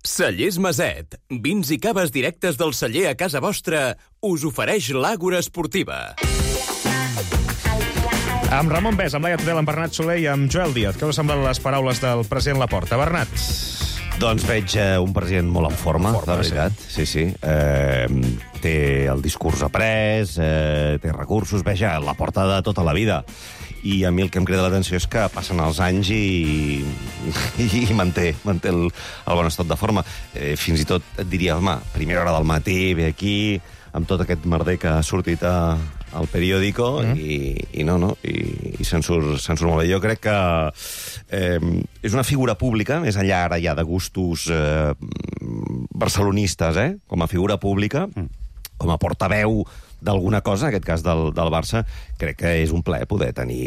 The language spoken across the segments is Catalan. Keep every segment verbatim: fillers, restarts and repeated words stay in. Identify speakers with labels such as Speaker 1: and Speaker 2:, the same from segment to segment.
Speaker 1: Cellers Maset, vins i caves directes del celler a casa vostra, us ofereix l'Àgora Esportiva.
Speaker 2: Amb Ramon Bès, amb Laia Tudel, amb Bernat Soler i amb Joel Díaz. Què us semblen les paraules del president Laporta? Bernat?
Speaker 3: Doncs veig eh, un president molt en forma, forma de veritat. Sí, sí. sí. Eh, té el discurs après, eh, té recursos, veja, Laporta de tota la vida. I a mi el que em crida l'atenció és que passen els anys i, i, i manté, manté el, el bon estat de forma. Eh, fins i tot et diria, home, primera hora del matí, ve aquí, amb tot aquest merder que ha sortit a, al periòdico, mm. i, i no, no, i, i se'n surt, se'n surt molt bé. Jo crec que eh, és una figura pública, més enllà ara ja de gustos eh, barcelonistes, eh, com a figura pública, mm. com a portaveu d'alguna cosa, en aquest cas del, del Barça, crec que és un plaer poder tenir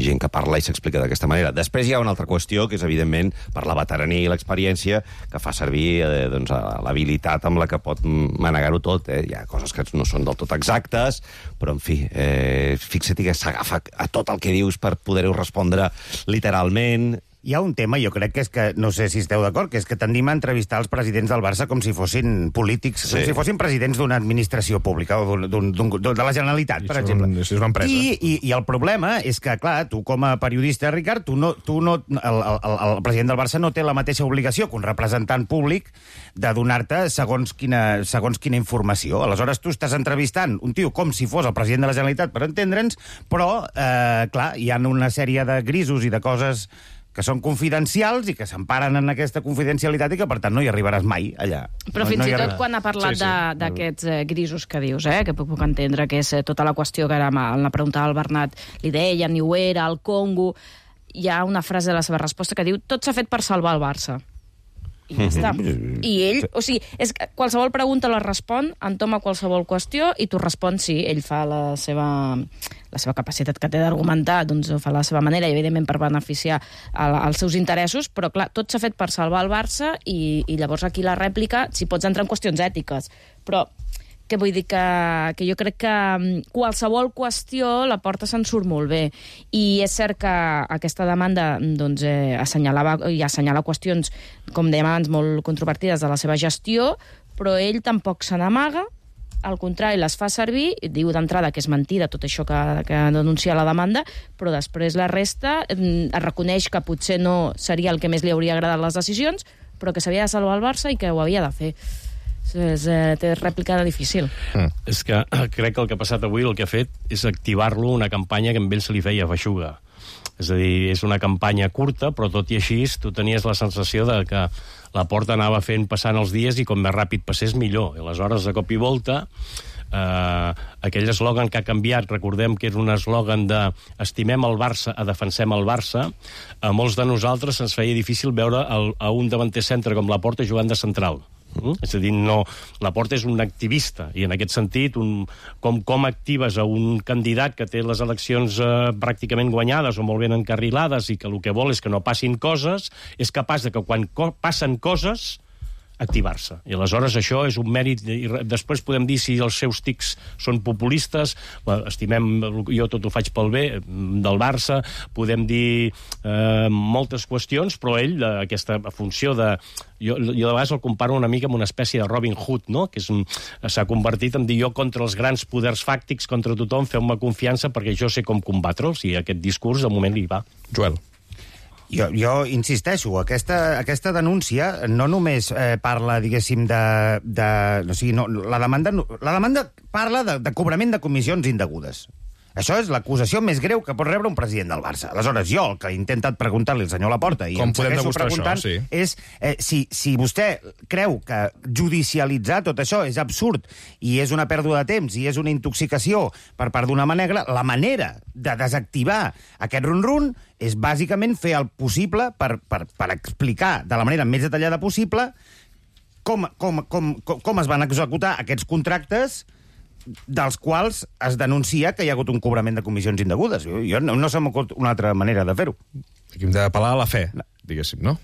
Speaker 3: gent que parla i s'explica d'aquesta manera. Després hi ha una altra qüestió, que és, evidentment, per la veterania i l'experiència, que fa servir eh, doncs, l'habilitat amb la que pot manegar-ho tot. Eh? Hi ha coses que no són del tot exactes, però, en fi, eh, fixa't que s'agafa a tot el que dius per poder-ho respondre literalment.
Speaker 4: Hi ha un tema, jo crec que és que, no sé si esteu d'acord, que és que tendim a entrevistar els presidents del Barça com si fossin polítics, sí. com si fossin presidents d'una administració pública o d'un, d'un, de la Generalitat, I per exemple.
Speaker 2: Un, és una empresa.
Speaker 4: I, i, I el problema és que, clar, tu com a periodista, Ricard, tu no, tu no, el, el, el president del Barça no té la mateixa obligació que un representant públic de donar-te segons quina, segons quina informació. Aleshores, tu estàs entrevistant un tio com si fos el president de la Generalitat, per entendre'ns, però, eh, clar, hi ha una sèrie de grisos i de coses que són confidencials i que s'emparen en aquesta confidencialitat i que, per tant, no hi arribaràs mai allà.
Speaker 5: Però
Speaker 4: no,
Speaker 5: fins
Speaker 4: no
Speaker 5: i tot
Speaker 4: arribarà.
Speaker 5: quan ha parlat
Speaker 2: sí, sí.
Speaker 5: d'aquests eh, grisos que dius, eh, que puc, puc entendre que és eh, tota la qüestió que ara en la pregunta del Bernat li deia, ni ho era, el Congo, hi ha una frase de la seva resposta que diu tot s'ha fet per salvar el Barça. I ja està. I ell, o sigui, és que qualsevol pregunta la respon, entoma qualsevol qüestió i tu respons sí, ell fa la seva, la seva capacitat que té d'argumentar, doncs ho fa a la seva manera, i evidentment per beneficiar a la, als seus interessos, però clar, tot s'ha fet per salvar el Barça i, i llavors aquí la rèplica, si pots entrar en qüestions ètiques, però que vull dir que, que jo crec que qualsevol qüestió la porta se'n surt molt bé. I és cert que aquesta demanda doncs, eh, assenyalava i assenyala qüestions, com dèiem abans, molt controvertides de la seva gestió, però ell tampoc se n'amaga, al contrari, les fa servir, diu d'entrada que és mentida tot això que, que denuncia la demanda, però després la resta es reconeix que potser no seria el que més li hauria agradat les decisions, però que s'havia de salvar el Barça i que ho havia de fer. És, eh, té rèplica difícil.
Speaker 6: Mm. És que crec que el que ha passat avui, el que ha fet és activar-lo una campanya que amb ell se li feia feixuga. És a dir, és una campanya curta, però tot i així tu tenies la sensació de que la Porta anava fent passant els dies i com més ràpid passés millor. I aleshores, de cop i volta, eh, aquell eslògan que ha canviat, recordem que era un eslògan de estimem el Barça a defensem el Barça, a molts de nosaltres ens feia difícil veure el, a un davanter centre com la Porta jugant de central. Mm? És a dir, no, Laporta és un activista i en aquest sentit un, com, com actives a un candidat que té les eleccions eh, pràcticament guanyades o molt ben encarrilades i que el que vol és que no passin coses, és capaç de que quan co passen coses activar-se. I aleshores això és un mèrit, i després podem dir si els seus tics són populistes, estimem, jo tot ho faig pel bé del Barça, podem dir eh, moltes qüestions, però ell, aquesta funció de... Jo, jo de vegades el comparo una mica amb una espècie de Robin Hood, no? Que s'ha convertit en dir jo contra els grans poders fàctics, contra tothom, feu-me confiança perquè jo sé com combatre'ls, i aquest discurs de moment li va.
Speaker 2: Joel.
Speaker 4: Jo, jo insisteixo, aquesta, aquesta denúncia no només eh, parla, diguéssim, de... de o sigui, no, la, demanda, la demanda parla de, de cobrament de comissions indegudes. Això és l'acusació més greu que pot rebre un president del Barça. Aleshores, jo, el que he intentat preguntar-li al senyor Laporta, i
Speaker 2: com
Speaker 4: em
Speaker 2: podem
Speaker 4: segueixo
Speaker 2: demostrar
Speaker 4: preguntant,
Speaker 2: això? Sí.
Speaker 4: és eh, si, si vostè creu que judicialitzar tot això és absurd i és una pèrdua de temps i és una intoxicació per part d'una mà negra, la manera de desactivar aquest run-run és bàsicament fer el possible per, per, per explicar de la manera més detallada possible com, com, com, com, com es van executar aquests contractes dels quals es denuncia que hi ha hagut un cobrament de comissions indegudes. Jo, jo no, no se m'acut una altra manera de fer-ho.
Speaker 2: Aquí hem d'apel·lar a la fe, diguéssim, no?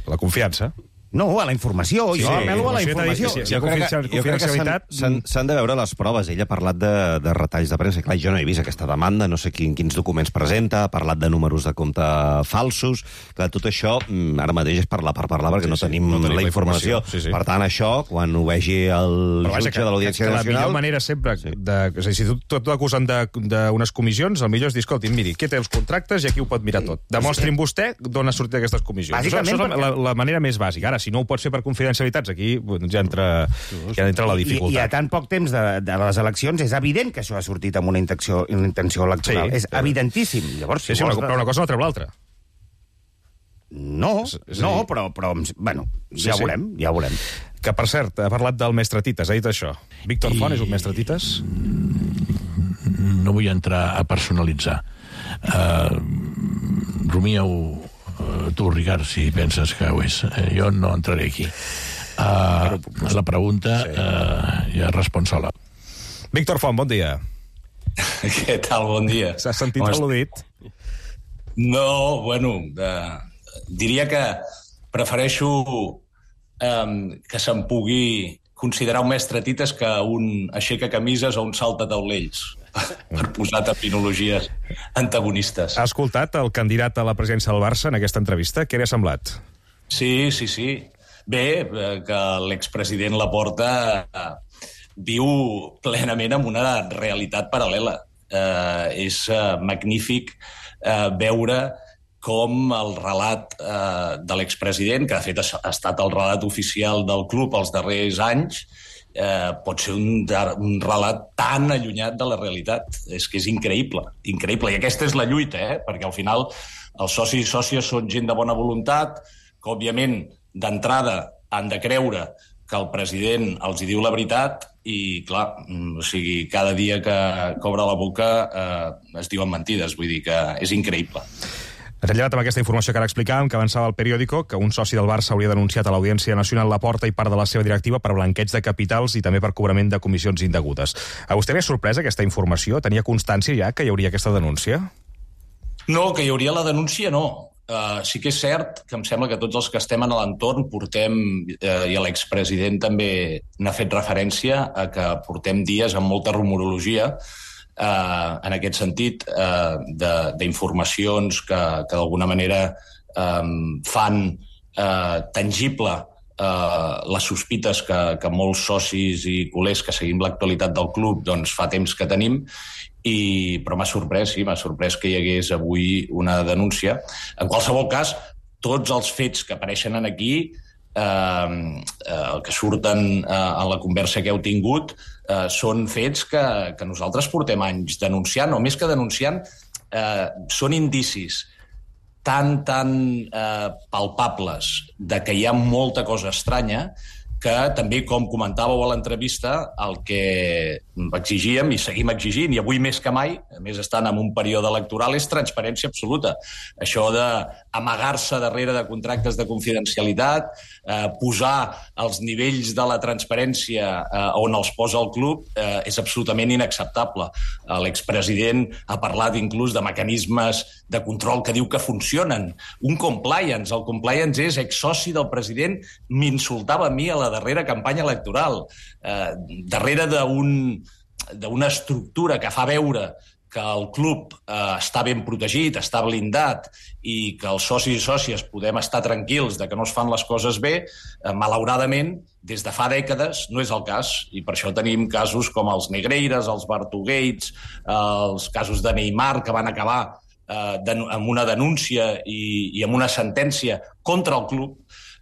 Speaker 2: A la confiança.
Speaker 4: No, a la informació.
Speaker 2: Sí,
Speaker 4: jo
Speaker 2: sí,
Speaker 4: apel·lo a la
Speaker 2: informació.
Speaker 4: informació.
Speaker 2: Sí, sí,
Speaker 3: Jo crec que, jo crec que
Speaker 2: confidencialitat...
Speaker 3: s'han- s'han s'han de veure les proves. Ell ha parlat de, de retalls de premsa. Clar, jo no he vist aquesta demanda, no sé quin, quins documents presenta, ha parlat de números de compte falsos. Clar, tot això, mm, ara mateix és parlar per parlar, perquè
Speaker 2: Sí,
Speaker 3: no,
Speaker 2: sí,
Speaker 3: tenim
Speaker 2: no tenim
Speaker 3: la
Speaker 2: la
Speaker 3: informació.
Speaker 2: informació. Sí, sí.
Speaker 3: Per tant, això, quan ho vegi el
Speaker 2: Però vaja,
Speaker 3: jutge de l'Audiència
Speaker 2: que la
Speaker 3: Nacional...
Speaker 2: millor manera sempre...
Speaker 3: Sí.
Speaker 2: De, és a dir, si tu tu t'acusen d'unes comissions, el millor és dir, escolti, miri, qui té els contractes i aquí ho pot mirar tot. Demostrin vostè d'on ha sortit aquestes comissions. Això,
Speaker 4: Bàsicament
Speaker 2: això és
Speaker 4: perquè-
Speaker 2: la, la manera més bàsica. Ara, si no ho pots fer per confidencialitats, aquí doncs ja entra, ja entra la
Speaker 4: I, I a
Speaker 2: dificultat.
Speaker 4: tan poc temps de, de les eleccions és evident que això ha sortit amb una intenció, una intenció electoral.
Speaker 2: Sí,
Speaker 4: és
Speaker 2: però-
Speaker 4: evidentíssim. Llavors,
Speaker 2: Sí, sí, una, però una cosa no treu l'altra.
Speaker 4: No,
Speaker 2: És a dir-
Speaker 4: no, però, però bueno,
Speaker 2: Sí,
Speaker 4: ja
Speaker 2: sí.
Speaker 4: veurem, ja veurem.
Speaker 2: Que, per cert, ha parlat del mestre Tites, ha dit això. Víctor
Speaker 7: I-
Speaker 2: Font és un mestre Tites?
Speaker 7: No vull entrar a personalitzar. Uh, Rumieu, uh, tu, Ricard, si penses que ho és. Uh, jo no entraré aquí. Uh, la pregunta uh, ja respon sola.
Speaker 2: Víctor Font, bon dia.
Speaker 8: Què tal? Bon dia.
Speaker 2: S'ha sentit
Speaker 8: Com est-
Speaker 2: al·ludit?
Speaker 8: No, bueno, eh, diria que prefereixo eh, que se'n pugui considerar un mestre tites que un aixeca camises o un salta taulells, per posar terminologies antagonistes.
Speaker 2: Ha escoltat el candidat a la presidència del Barça en aquesta entrevista? Què li ha semblat?
Speaker 8: Sí, sí, sí. Bé, eh, que l'expresident Laporta eh, viu plenament en una realitat paral·lela. Eh, és eh, magnífic eh, veure com el relat eh, de l'expresident, que de fet ha, ha estat el relat oficial del club els darrers anys, eh, pot ser un, un relat tan allunyat de la realitat. És que és increïble, increïble. I aquesta és la lluita, eh? Perquè al final els socis i sòcies són gent de bona voluntat, que òbviament d'entrada han de creure que el president els hi diu la veritat i, clar, o sigui, cada dia que, que obre la boca eh, es diuen mentides. Vull dir que és increïble.
Speaker 2: Rellevat amb aquesta informació que ara explicàvem, que avançava el periòdico, que un soci del Barça hauria denunciat a l'Audiència Nacional Laporta i part de la seva directiva per blanqueig de capitals i també per cobrament de comissions indegudes. A vostè li ha sorprès aquesta informació? Tenia constància ja que hi hauria aquesta denúncia?
Speaker 8: No, que hi hauria la denúncia, no. Uh, sí que és cert que em sembla que tots els que estem en l'entorn portem, uh, i l'expresident també n'ha fet referència, a que portem dies amb molta rumorologia, uh, en aquest sentit, uh, d'informacions que, que d'alguna manera um, fan uh, tangible uh, les sospites que, que molts socis i culers que seguim l'actualitat del club doncs fa temps que tenim, i, però m'ha sorprès, sí, m'ha sorprès que hi hagués avui una denúncia. En qualsevol cas, tots els fets que apareixen en aquí, eh, eh, que surten eh, en la conversa que heu tingut, eh, són fets que, que nosaltres portem anys denunciant, o més que denunciant, eh, són indicis tan, tan eh, palpables de que hi ha molta cosa estranya, que també, com comentàveu a l'entrevista, el que exigíem i seguim exigint, i avui més que mai, a més estan en un període electoral, és transparència absoluta. Això d'amagar-se darrere de contractes de confidencialitat, eh, posar els nivells de la transparència eh, on els posa el club, eh, és absolutament inacceptable. Eh, L'expresident ha parlat inclús de mecanismes de control que diu que funcionen. Un compliance. El compliance és exsoci del president, m'insultava a mi a la darrera campanya electoral, eh, darrere d'un, d'una estructura que fa veure que el club eh, està ben protegit, està blindat, i que els socis i sòcies podem estar tranquils de que no es fan les coses bé, eh, malauradament, des de fa dècades no és el cas, i per això tenim casos com els Negreiras, els Bartogates, eh, els casos de Neymar, que van acabar eh, amb una denúncia i, i amb una sentència contra el club,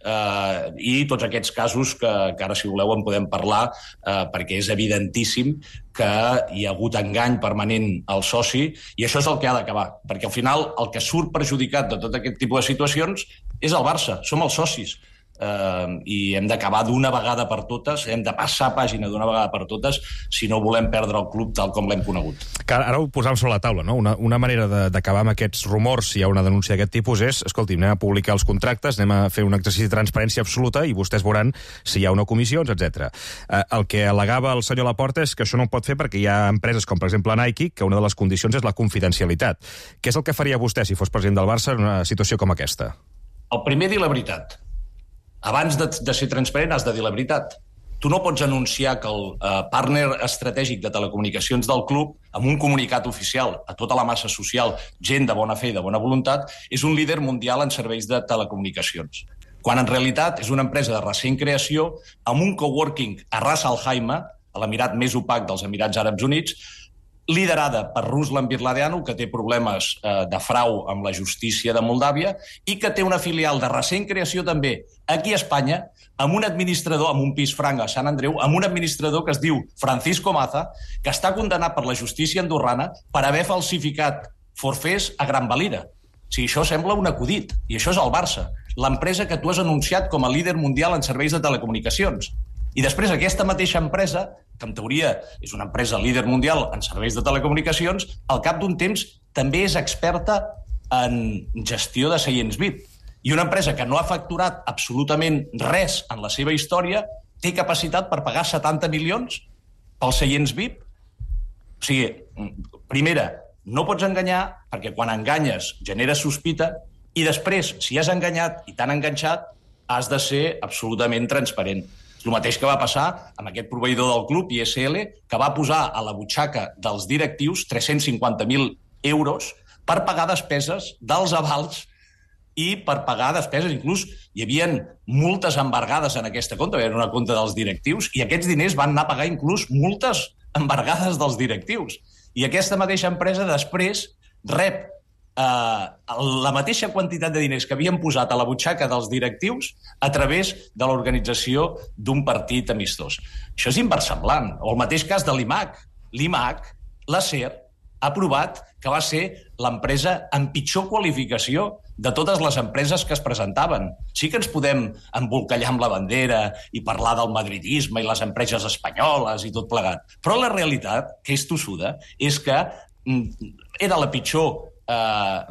Speaker 8: Uh, i tots aquests casos que, que ara, si voleu, en podem parlar, uh, perquè és evidentíssim que hi ha hagut engany permanent al soci, i això és el que ha d'acabar, perquè al final el que surt perjudicat de tot aquest tipus de situacions és el Barça, som els socis. Uh, i hem d'acabar d'una vegada per totes, hem de passar pàgina d'una vegada per totes si no volem perdre el club tal com l'hem conegut.
Speaker 2: Que ara ho posàvem sobre la taula, no? Una, una manera d'acabar amb aquests rumors, si hi ha una denúncia d'aquest tipus, és, escolti, anem a publicar els contractes, anem a fer un exercici de transparència absoluta i vostès veuran si hi ha o no comissions, etcètera. Uh, el que al·legava el senyor Laporta és que això no ho pot fer perquè hi ha empreses com, per exemple, Nike, que una de les condicions és la confidencialitat. Què és el que faria vostè si fos president del Barça en una situació com aquesta?
Speaker 8: El primer, dir la veritat. abans de, de ser transparent has de dir la veritat. Tu no pots anunciar que el eh, partner estratègic de telecomunicacions del club, amb un comunicat oficial a tota la massa social, gent de bona fe i de bona voluntat, és un líder mundial en serveis de telecomunicacions. Quan en realitat és una empresa de recent creació amb un coworking a Ras Al Khaimah, a l'emirat més opac dels Emirats Àrabs Units, liderada per Ruslan Birladeanu, que té problemes eh, de frau amb la justícia de Moldàvia, i que té una filial de recent creació també aquí a Espanya, amb un administrador, amb un pis franc a Sant Andreu, amb un administrador que es diu Francisco Maza, que està condemnat per la justícia andorrana per haver falsificat forfers a Gran Valira. O sigui, això sembla un acudit, i això és el Barça, l'empresa que tu has anunciat com a líder mundial en serveis de telecomunicacions. I després aquesta mateixa empresa, que en teoria és una empresa líder mundial en serveis de telecomunicacions, al cap d'un temps també és experta en gestió de seients V I P. I una empresa que no ha facturat absolutament res en la seva història té capacitat per pagar setanta milions pels seients V I P. O sigui, primera, no pots enganyar perquè quan enganyes generes sospita i després, si has enganyat i t'han enganxat, has de ser absolutament transparent. És el mateix que va passar amb aquest proveïdor del club, I S L, que va posar a la butxaca dels directius tres-cents cinquanta mil euros per pagar despeses dels avals i per pagar despeses. Inclús hi havia multes embargades en aquesta compte, era una compte dels directius, i aquests diners van anar a pagar inclús multes embargades dels directius. I aquesta mateixa empresa després rep eh, la mateixa quantitat de diners que havien posat a la butxaca dels directius a través de l'organització d'un partit amistós. Això és inversemblant. O el mateix cas de l'I M A C. L'I M A C, la SER, ha provat que va ser l'empresa amb pitjor qualificació de totes les empreses que es presentaven. Sí que ens podem embolcallar amb la bandera i parlar del madridisme i les empreses espanyoles i tot plegat, però la realitat, que és tossuda, és que era la pitjor eh,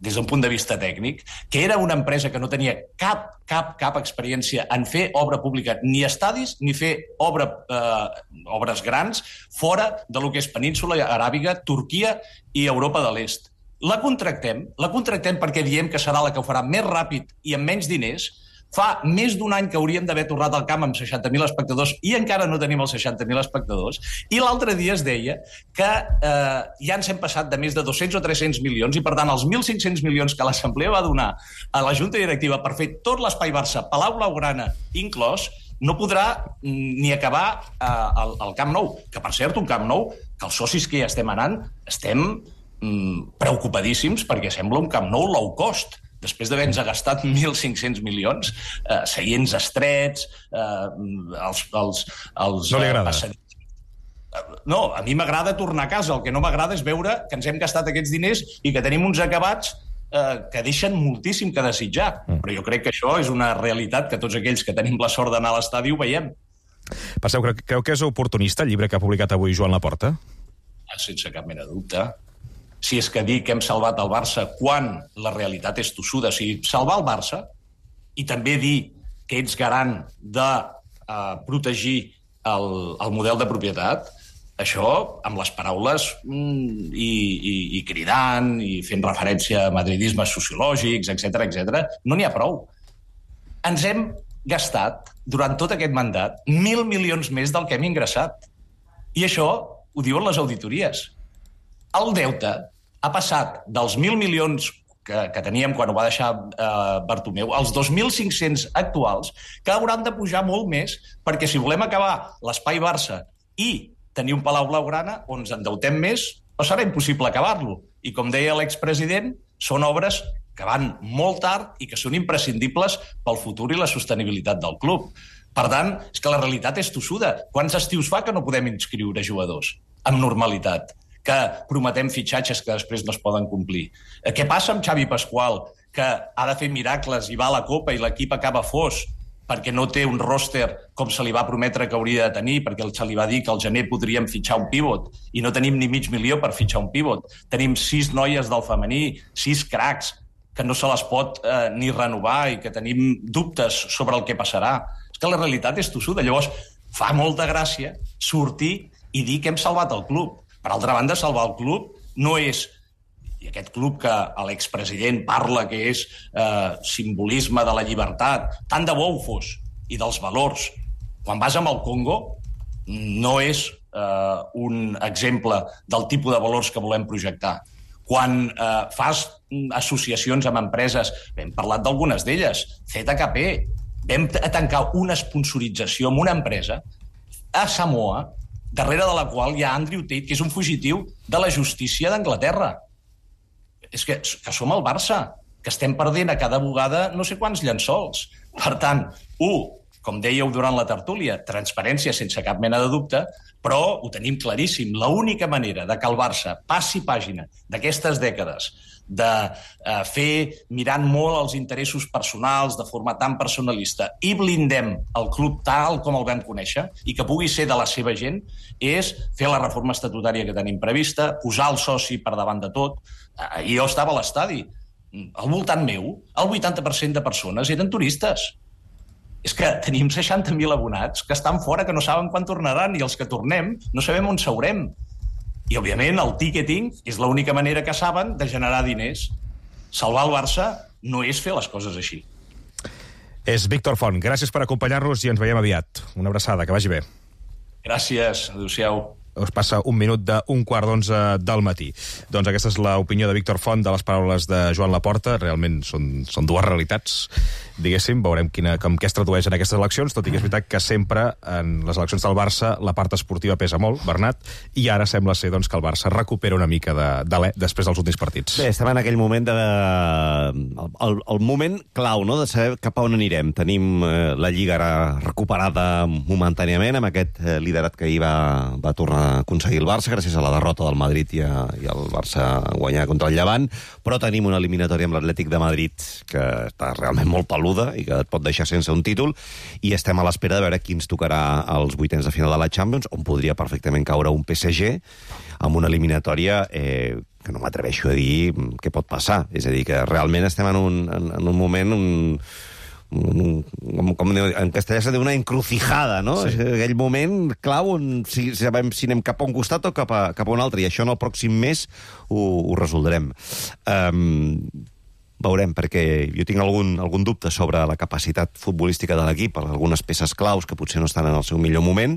Speaker 8: des d'un punt de vista tècnic, que era una empresa que no tenia cap, cap, cap experiència en fer obra pública, ni estadis, ni fer obra, eh, obres grans fora de lo que és Península Aràbiga, Turquia i Europa de l'Est. La contractem, la contractem perquè diem que serà la que ho farà més ràpid i amb menys diners. Fa més d'un any que hauríem d'haver tornat al camp amb seixanta mil espectadors i encara no tenim els seixanta mil espectadors. I l'altre dia es deia que eh, ja ens hem passat de més de dos-cents o tres-cents milions i, per tant, els mil cinc-cents milions que l'Assemblea va donar a la Junta Directiva per fer tot l'espai Barça, Palau Blaugrana inclòs, no podrà ni acabar eh, el, el Camp Nou. Que, per cert, un Camp Nou que els socis que hi estem anant estem mm, preocupadíssims perquè sembla un Camp Nou low cost. Després d'haver-nos gastat mil cinc-cents milions, eh, seients estrets, eh, els... els, els
Speaker 2: no li agrada?
Speaker 8: Eh, no, a mi m'agrada tornar a casa. El que no m'agrada és veure que ens hem gastat aquests diners i que tenim uns acabats eh, que deixen moltíssim que desitjar. Mm. Però jo crec que això és una realitat que tots aquells que tenim la sort d'anar a l'estadi ho veiem.
Speaker 2: Passeu, creu, creu que és oportunista el llibre que ha publicat avui Joan Laporta?
Speaker 8: Sense cap mena de dubte. Si és que dir que hem salvat el Barça quan la realitat és tossuda. O sigui, salvar el Barça i també dir que ets garant de eh, protegir el, el model de propietat, això, amb les paraules mm, i, i, i cridant i fent referència a madridismes sociològics, etcètera, etcètera, no n'hi ha prou. Ens hem gastat, durant tot aquest mandat, mil milions més del que hem ingressat. I això ho diuen les auditories. El deute ha passat dels mil milions que, que teníem quan ho va deixar eh, Bartomeu als dos mil cinc-cents actuals, que hauran de pujar molt més, perquè si volem acabar l'espai Barça i tenir un Palau Blaugrana on ens endeutem més, no serà impossible acabar-lo. I com deia l'expresident, són obres que van molt tard i que són imprescindibles pel futur i la sostenibilitat del club. Per tant, és que la realitat és tossuda. Quants estius fa que no podem inscriure jugadors amb normalitat? Que prometem fitxatges que després no es poden complir. Què passa amb Xavi Pasqual, que ha de fer miracles i va a la Copa i l'equip acaba fos perquè no té un ròster com se li va prometre que hauria de tenir, perquè se li va dir que al gener podríem fitxar un pivot i no tenim ni mig milió per fitxar un pivot. Tenim sis noies del femení, sis cracs, que no se les pot eh, ni renovar i que tenim dubtes sobre el que passarà. És que la realitat és tossuda. Llavors, fa molta gràcia sortir i dir que hem salvat el club. Per altra banda, salvar el club no és i aquest club que l'expresident parla que és eh, simbolisme de la llibertat, tant de bo ho fos, i dels valors. Quan vas amb el Congo, no és eh, un exemple del tipus de valors que volem projectar. Quan eh, fas associacions amb empreses, hem parlat d'algunes d'elles, Z K P, vam tancar una sponsorització amb una empresa a Samoa, darrere de la qual hi ha Andrew Tate, que és un fugitiu de la justícia d'Anglaterra. És que, que som el Barça, que estem perdent a cada bugada no sé quants llençols. Per tant, un, com dèieu durant la tertúlia, transparència sense cap mena de dubte, però ho tenim claríssim. L'única manera de que el Barça passi pàgina d'aquestes dècades de eh, fer mirant molt els interessos personals de forma tan personalista i blindem el club tal com el vam conèixer i que pugui ser de la seva gent, és fer la reforma estatutària que tenim prevista, posar el soci per davant de tot. Eh, jo estava a l'estadi. Al voltant meu, el vuitanta per cent de persones eren turistes. És que tenim seixanta mil abonats que estan fora, que no saben quan tornaran, i els que tornem no sabem on seurem. I, òbviament, el ticketing és l'única manera que saben de generar diners. Salvar el Barça no és fer les coses així.
Speaker 2: És Víctor Font. Gràcies per acompanyar-nos i ens veiem aviat. Una abraçada, que vagi bé.
Speaker 8: Gràcies, adéu-siau.
Speaker 2: Us passa un minut d'un quart d'onze del matí. Doncs aquesta és l'opinió de Víctor Font de les paraules de Joan Laporta. Realment són, són dues realitats, diguéssim. Veurem quina, com què es tradueix en aquestes eleccions, tot i que és veritat que sempre en les eleccions del Barça la part esportiva pesa molt, Bernat, i ara sembla ser doncs, que el Barça recupera una mica de, de l'e després dels últims partits.
Speaker 3: Bé, estem en aquell moment de... El, el, el moment clau, no?, de saber cap a on anirem. Tenim eh, la Lliga ara recuperada momentàniament amb aquest eh, liderat que ahir va, va tornar a aconseguir el Barça gràcies a la derrota del Madrid i, a, i el Barça guanyar contra el Llevant, però tenim una eliminatòria amb l'Atlètic de Madrid que està realment molt peluda i que et pot deixar sense un títol, i estem a l'espera de veure qui ens tocarà als vuitens de final de la Champions, on podria perfectament caure un P S G amb una eliminatòria eh, que no m'atreveixo a dir què pot passar. És a dir, que realment estem en un, en, en un moment... Un, Com, com en castellà se diu una encrucijada, no? Sí. Aquell moment clau on si, sabem si anem cap a un costat o cap a, cap a un altre, i això en el pròxim mes ho, ho resoldrem. Um, veurem, perquè jo tinc algun, algun dubte sobre la capacitat futbolística de l'equip, algunes peces claus que potser no estan en el seu millor moment,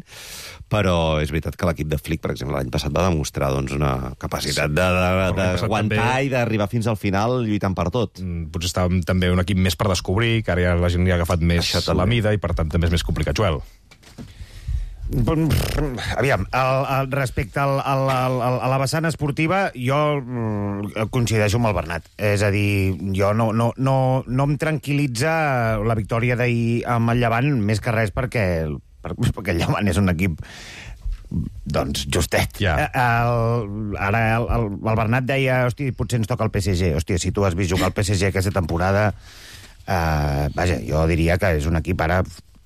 Speaker 3: però és veritat que l'equip de Flick, per exemple, l'any passat va demostrar doncs, una capacitat d'aguantar també... i d'arribar fins al final lluitant per tot.
Speaker 2: Mm, potser estàvem també un equip més per descobrir, que ara ja la gent li ha agafat més la mida i per tant també és més complicat. Joel.
Speaker 4: Aviam, el, el, respecte al, al, al, a la vessant esportiva, jo mm, coincideixo amb el Bernat. És a dir, jo no, no, no, no em tranquil·litza la victòria d'ahir amb el Llevant, més que res perquè, perquè el Llevant és un equip doncs justet.
Speaker 2: Yeah.
Speaker 4: El, ara el, el, el Bernat deia, hosti, potser ens toca el P S G. Hòstia, si tu has vist jugar al P S G aquesta temporada, eh, vaja, jo diria que és un equip ara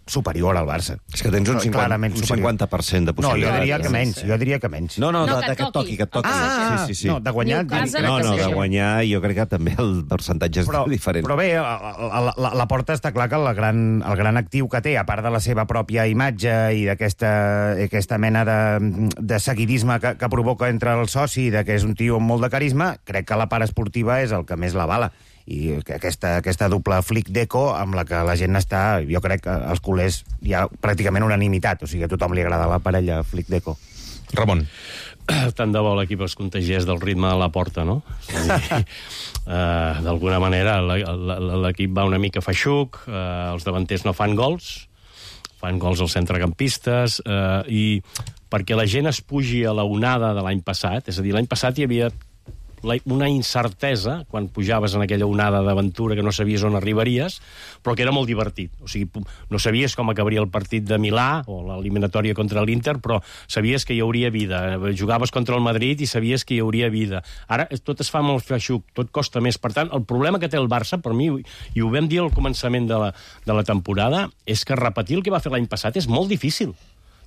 Speaker 4: superior al Barça.
Speaker 3: És que tens un, cinquanta, un cinquanta per cent de possibilitat.
Speaker 4: No, jo diria que menys, jo diria que menys.
Speaker 3: No, no,
Speaker 5: no
Speaker 3: de,
Speaker 5: que,
Speaker 3: que et toqui, que et toqui.
Speaker 4: Ah,
Speaker 3: sí, sí, sí.
Speaker 4: No, de guanyar...
Speaker 5: Newcastle,
Speaker 3: No, no,
Speaker 5: que
Speaker 3: de
Speaker 5: sí.
Speaker 3: guanyar jo crec que també el percentatge és
Speaker 4: però,
Speaker 3: diferent.
Speaker 4: Però bé, la, la, la Porta està clar que la gran, el gran actiu que té, a part de la seva pròpia imatge i d'aquesta aquesta mena de, de seguidisme que, que provoca entre el soci, de que és un tio amb molt de carisma, crec que la part esportiva és el que més l'avala. I que aquesta, aquesta doble flic d'eco amb la que la gent està, jo crec que als culers hi ha pràcticament unanimitat, o sigui, a tothom li agrada la parella flic d'eco.
Speaker 2: Ramon.
Speaker 6: Tant de bo l'equip es contagiés del ritme de la Porta, no? uh, D'alguna manera l'equip va una mica feixuc, uh, els davanters no fan gols, fan gols als centrecampistes, uh, i perquè la gent es pugi a la onada de l'any passat, és a dir, l'any passat hi havia una incertesa quan pujaves en aquella onada d'aventura que no sabies on arribaries, però que era molt divertit. O sigui, no sabies com acabaria el partit de Milà o l'eliminatòria contra l'Inter, però sabies que hi hauria vida. Jugaves contra el Madrid i sabies que hi hauria vida. Ara tot es fa molt feixuc, tot costa més. Per tant, el problema que té el Barça, per mi, i ho vam dir al començament de la, de la temporada, és que repetir el que va fer l'any passat és molt difícil.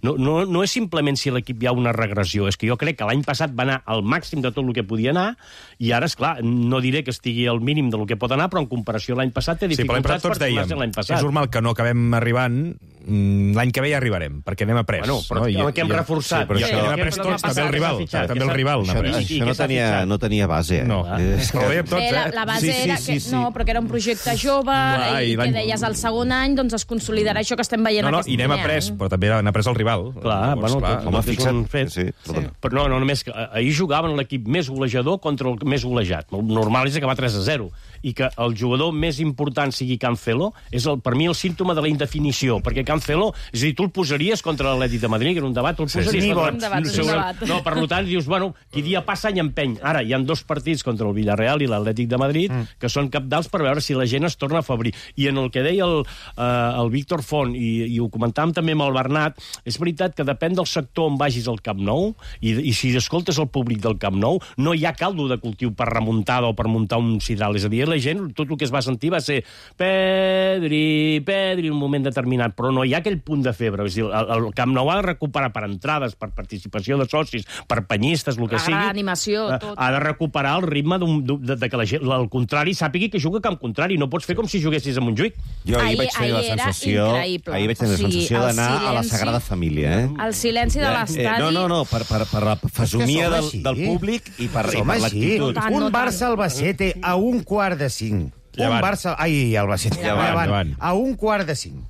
Speaker 6: No, no, no és simplement si l'equip hi ha una regressió, és que jo crec que l'any passat va anar al màxim de tot el que podia anar, i ara, és clar, no diré que estigui al mínim del que pot anar, però en comparació a l'any passat té dificultats
Speaker 2: sí, per
Speaker 6: tornar a ser l'any passat.
Speaker 2: És normal que no acabem arribant l'any que ve ja arribarem, perquè anem a pres.
Speaker 6: Bueno, però
Speaker 2: no?
Speaker 6: que hem reforçat.
Speaker 2: Sí, però això anem a pres tots, també el rival. També el rival.
Speaker 3: Això, això no, tenia, no tenia base, eh?
Speaker 2: No, però ho dèiem tots,
Speaker 5: Bé, la,
Speaker 2: eh?
Speaker 5: la base
Speaker 3: Sí, sí,
Speaker 5: era
Speaker 3: sí,
Speaker 5: que,
Speaker 3: sí.
Speaker 5: no, però que era un projecte jove
Speaker 2: Clar,
Speaker 5: i,
Speaker 2: i
Speaker 5: que
Speaker 2: l'any-
Speaker 5: deies el segon any doncs es consolidarà això que estem veient
Speaker 2: No, no,
Speaker 5: aquest
Speaker 2: i anem a
Speaker 5: any.
Speaker 2: pres, però també n'ha pres el rival.
Speaker 6: Clar,
Speaker 2: Llavors,
Speaker 6: bueno,
Speaker 2: clar,
Speaker 6: tot,
Speaker 3: home,
Speaker 6: tot és
Speaker 3: fixa't.
Speaker 6: un fet.
Speaker 3: Sí, perdona.
Speaker 6: Però no, no, només que ahir jugaven l'equip més golejador contra el més golejat. El normal és acabar tres a zero. I que el jugador més important sigui Cancelo és, el, per mi, el símptoma de la indefinició, perquè Cancelo, és a dir, tu el posaries contra l'Atlètic de Madrid, que era un debat, tu el posaries...
Speaker 5: sí.
Speaker 6: contra...
Speaker 5: Un debat, un debat.
Speaker 6: No, per tant, dius, bueno, qui dia passa any empeny. Ara, hi ha dos partits contra el Villarreal i l'Atlètic de Madrid mm. que són cabdals per veure si la gent es torna a afebrir. I en el que deia el, uh, el Víctor Font, i, i ho comentàvem també amb el Bernat, és veritat que depèn del sector on vagis al Camp Nou, i, i si escoltes el públic del Camp Nou, no hi ha caldo de cultiu per remuntada o per muntar un sidral. És a dir, la gent, tot el que es va sentir va ser Pedri, Pedri, en un moment determinat, però no hi ha aquell punt de febre. És a dir, el, el Camp Nou ha de recuperar per entrades, per participació de socis, per penyistes, el que
Speaker 5: La
Speaker 6: sigui.
Speaker 5: gran animació,
Speaker 6: ha,
Speaker 5: tot.
Speaker 6: Ha de recuperar el ritme d'un, de, de que la gent, al contrari, sàpigui que juga a camp contrari. No pots fer com si juguessis a Montjuïc.
Speaker 3: Jo ahir,
Speaker 5: Ahir-
Speaker 3: vaig tenir la
Speaker 5: ahir era
Speaker 3: sensació,
Speaker 5: increïble.
Speaker 3: ahir vaig tenir
Speaker 5: O
Speaker 3: la
Speaker 5: sigui,
Speaker 3: sensació
Speaker 5: el
Speaker 3: d'anar a la
Speaker 5: silenci-
Speaker 3: Sagrada Família, eh?
Speaker 5: El silenci de l'estadi...
Speaker 3: Eh, no, no, no, per, per, per la fesomia
Speaker 4: som
Speaker 3: del,
Speaker 4: així.
Speaker 3: del públic i per, i
Speaker 4: Som
Speaker 3: per
Speaker 4: així.
Speaker 3: l'actitud.
Speaker 5: No tant, no
Speaker 4: Un
Speaker 5: tant.
Speaker 4: Barça-Albacete a un quart de cinc.
Speaker 2: Llevant.
Speaker 4: Un Barça... Ai, Albacete.
Speaker 2: Llevant,
Speaker 4: Llevant.
Speaker 2: llevant.
Speaker 4: A un quart de cinc.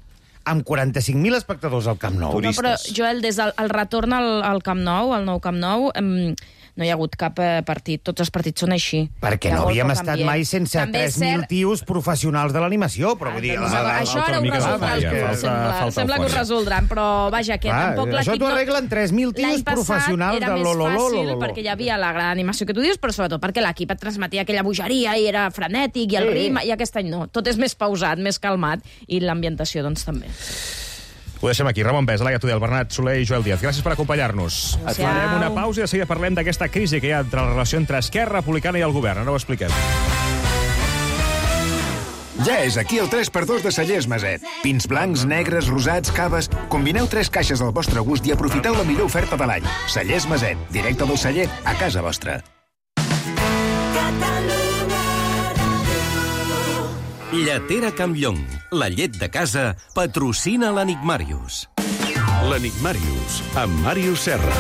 Speaker 4: Amb quaranta-cinc mil espectadors al Camp Nou.
Speaker 5: No, però, Joel, des del el retorn al, al Camp Nou, al nou Camp Nou, em, no hi ha hagut cap eh, partit. Tots els partits són així.
Speaker 4: Perquè
Speaker 5: Hi ha
Speaker 4: no
Speaker 5: molt
Speaker 4: havíem
Speaker 5: poc
Speaker 4: estat
Speaker 5: ambient.
Speaker 4: mai sense
Speaker 5: També és
Speaker 4: tres mil
Speaker 5: cert-
Speaker 4: tios professionals de l'animació, però vull dir...
Speaker 5: Doncs,
Speaker 4: la- la-
Speaker 5: això
Speaker 2: falta
Speaker 5: ara
Speaker 2: una
Speaker 5: ho
Speaker 2: mica de
Speaker 5: resoldran.
Speaker 2: eufòria, falta-
Speaker 5: sembla
Speaker 2: falta
Speaker 5: sembla que ho
Speaker 2: eufòria.
Speaker 5: resoldran, però vaja, que
Speaker 4: Clar,
Speaker 5: tampoc
Speaker 4: això
Speaker 5: l'equip...
Speaker 4: t'ho
Speaker 5: no-
Speaker 4: arreglen tres mil tios
Speaker 5: L'any passat
Speaker 4: professionals
Speaker 5: era
Speaker 4: de
Speaker 5: més
Speaker 4: lo-lo-lo,
Speaker 5: fàcil
Speaker 4: lo-lo-lo.
Speaker 5: perquè hi havia la gran animació que tu dius, però sobretot perquè l'equip et transmetia aquella bogeria i era frenètic i el
Speaker 4: Sí.
Speaker 5: ritme, i aquest any no. Tot és més pausat, més calmat, i l'ambientació doncs també.
Speaker 2: Ho deixem aquí. Ramon Besa, Laia Tudel, Bernat Soler i Joel Díaz. Gràcies per acompanyar-nos.
Speaker 5: Adéu.
Speaker 2: Farem una pausa i de seguida parlem d'aquesta crisi que hi ha entre la relació entre Esquerra Republicana i el govern. Ara ho expliquem.
Speaker 9: Ja és aquí el tres per dos de Cellers Maset. Pins blancs, negres, rosats, caves... Combineu tres caixes al vostre gust i aprofiteu la millor oferta de l'any. Cellers Maset, directe del celler a casa vostra.
Speaker 1: Lletera Campllong, la llet de casa, patrocina l'Enigmàrius.
Speaker 9: L'Enigmàrius, amb Màrius Serra.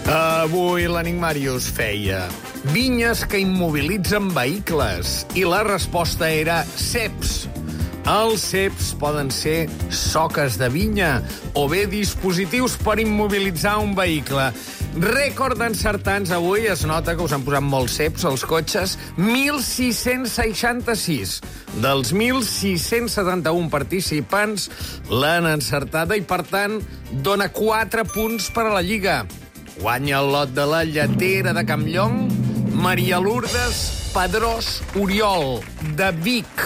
Speaker 10: Avui l'Enigmàrius feia vinyes que immobilitzen vehicles i la resposta era ceps. Els ceps poden ser soques de vinya o bé dispositius per immobilitzar un vehicle. Rècord d'encertants avui, es nota que us han posat molts ceps als cotxes, mil sis-cents seixanta-sis. Dels mil sis-cents setanta-un participants l'han encertada i, per tant, dona quatre punts per a la Lliga. Guanya el lot de la lletera de Campllong, Maria Lourdes Pedrós Oriol, de Vic.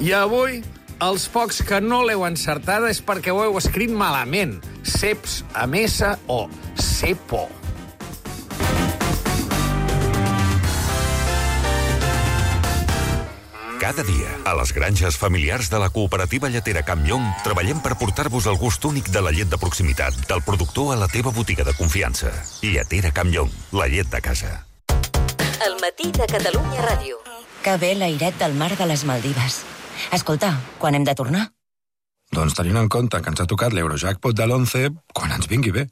Speaker 10: I avui, els pocs que no l'heu encertada és perquè ho heu escrit malament. Ceps amb S o cepo.
Speaker 11: Cada dia, a les granges familiars de la cooperativa lletera Campllong, treballem per portar-vos el gust únic de la llet de proximitat, del productor a la teva botiga de confiança. Lletera Campllong, la llet de casa.
Speaker 12: El matí de Catalunya Ràdio. Que bé l'airet del mar de les Maldives. Escolta, quan hem de tornar?
Speaker 13: Doncs tenint en compte que ens ha tocat l'Eurojackpot de l'onze, quan ens vingui bé.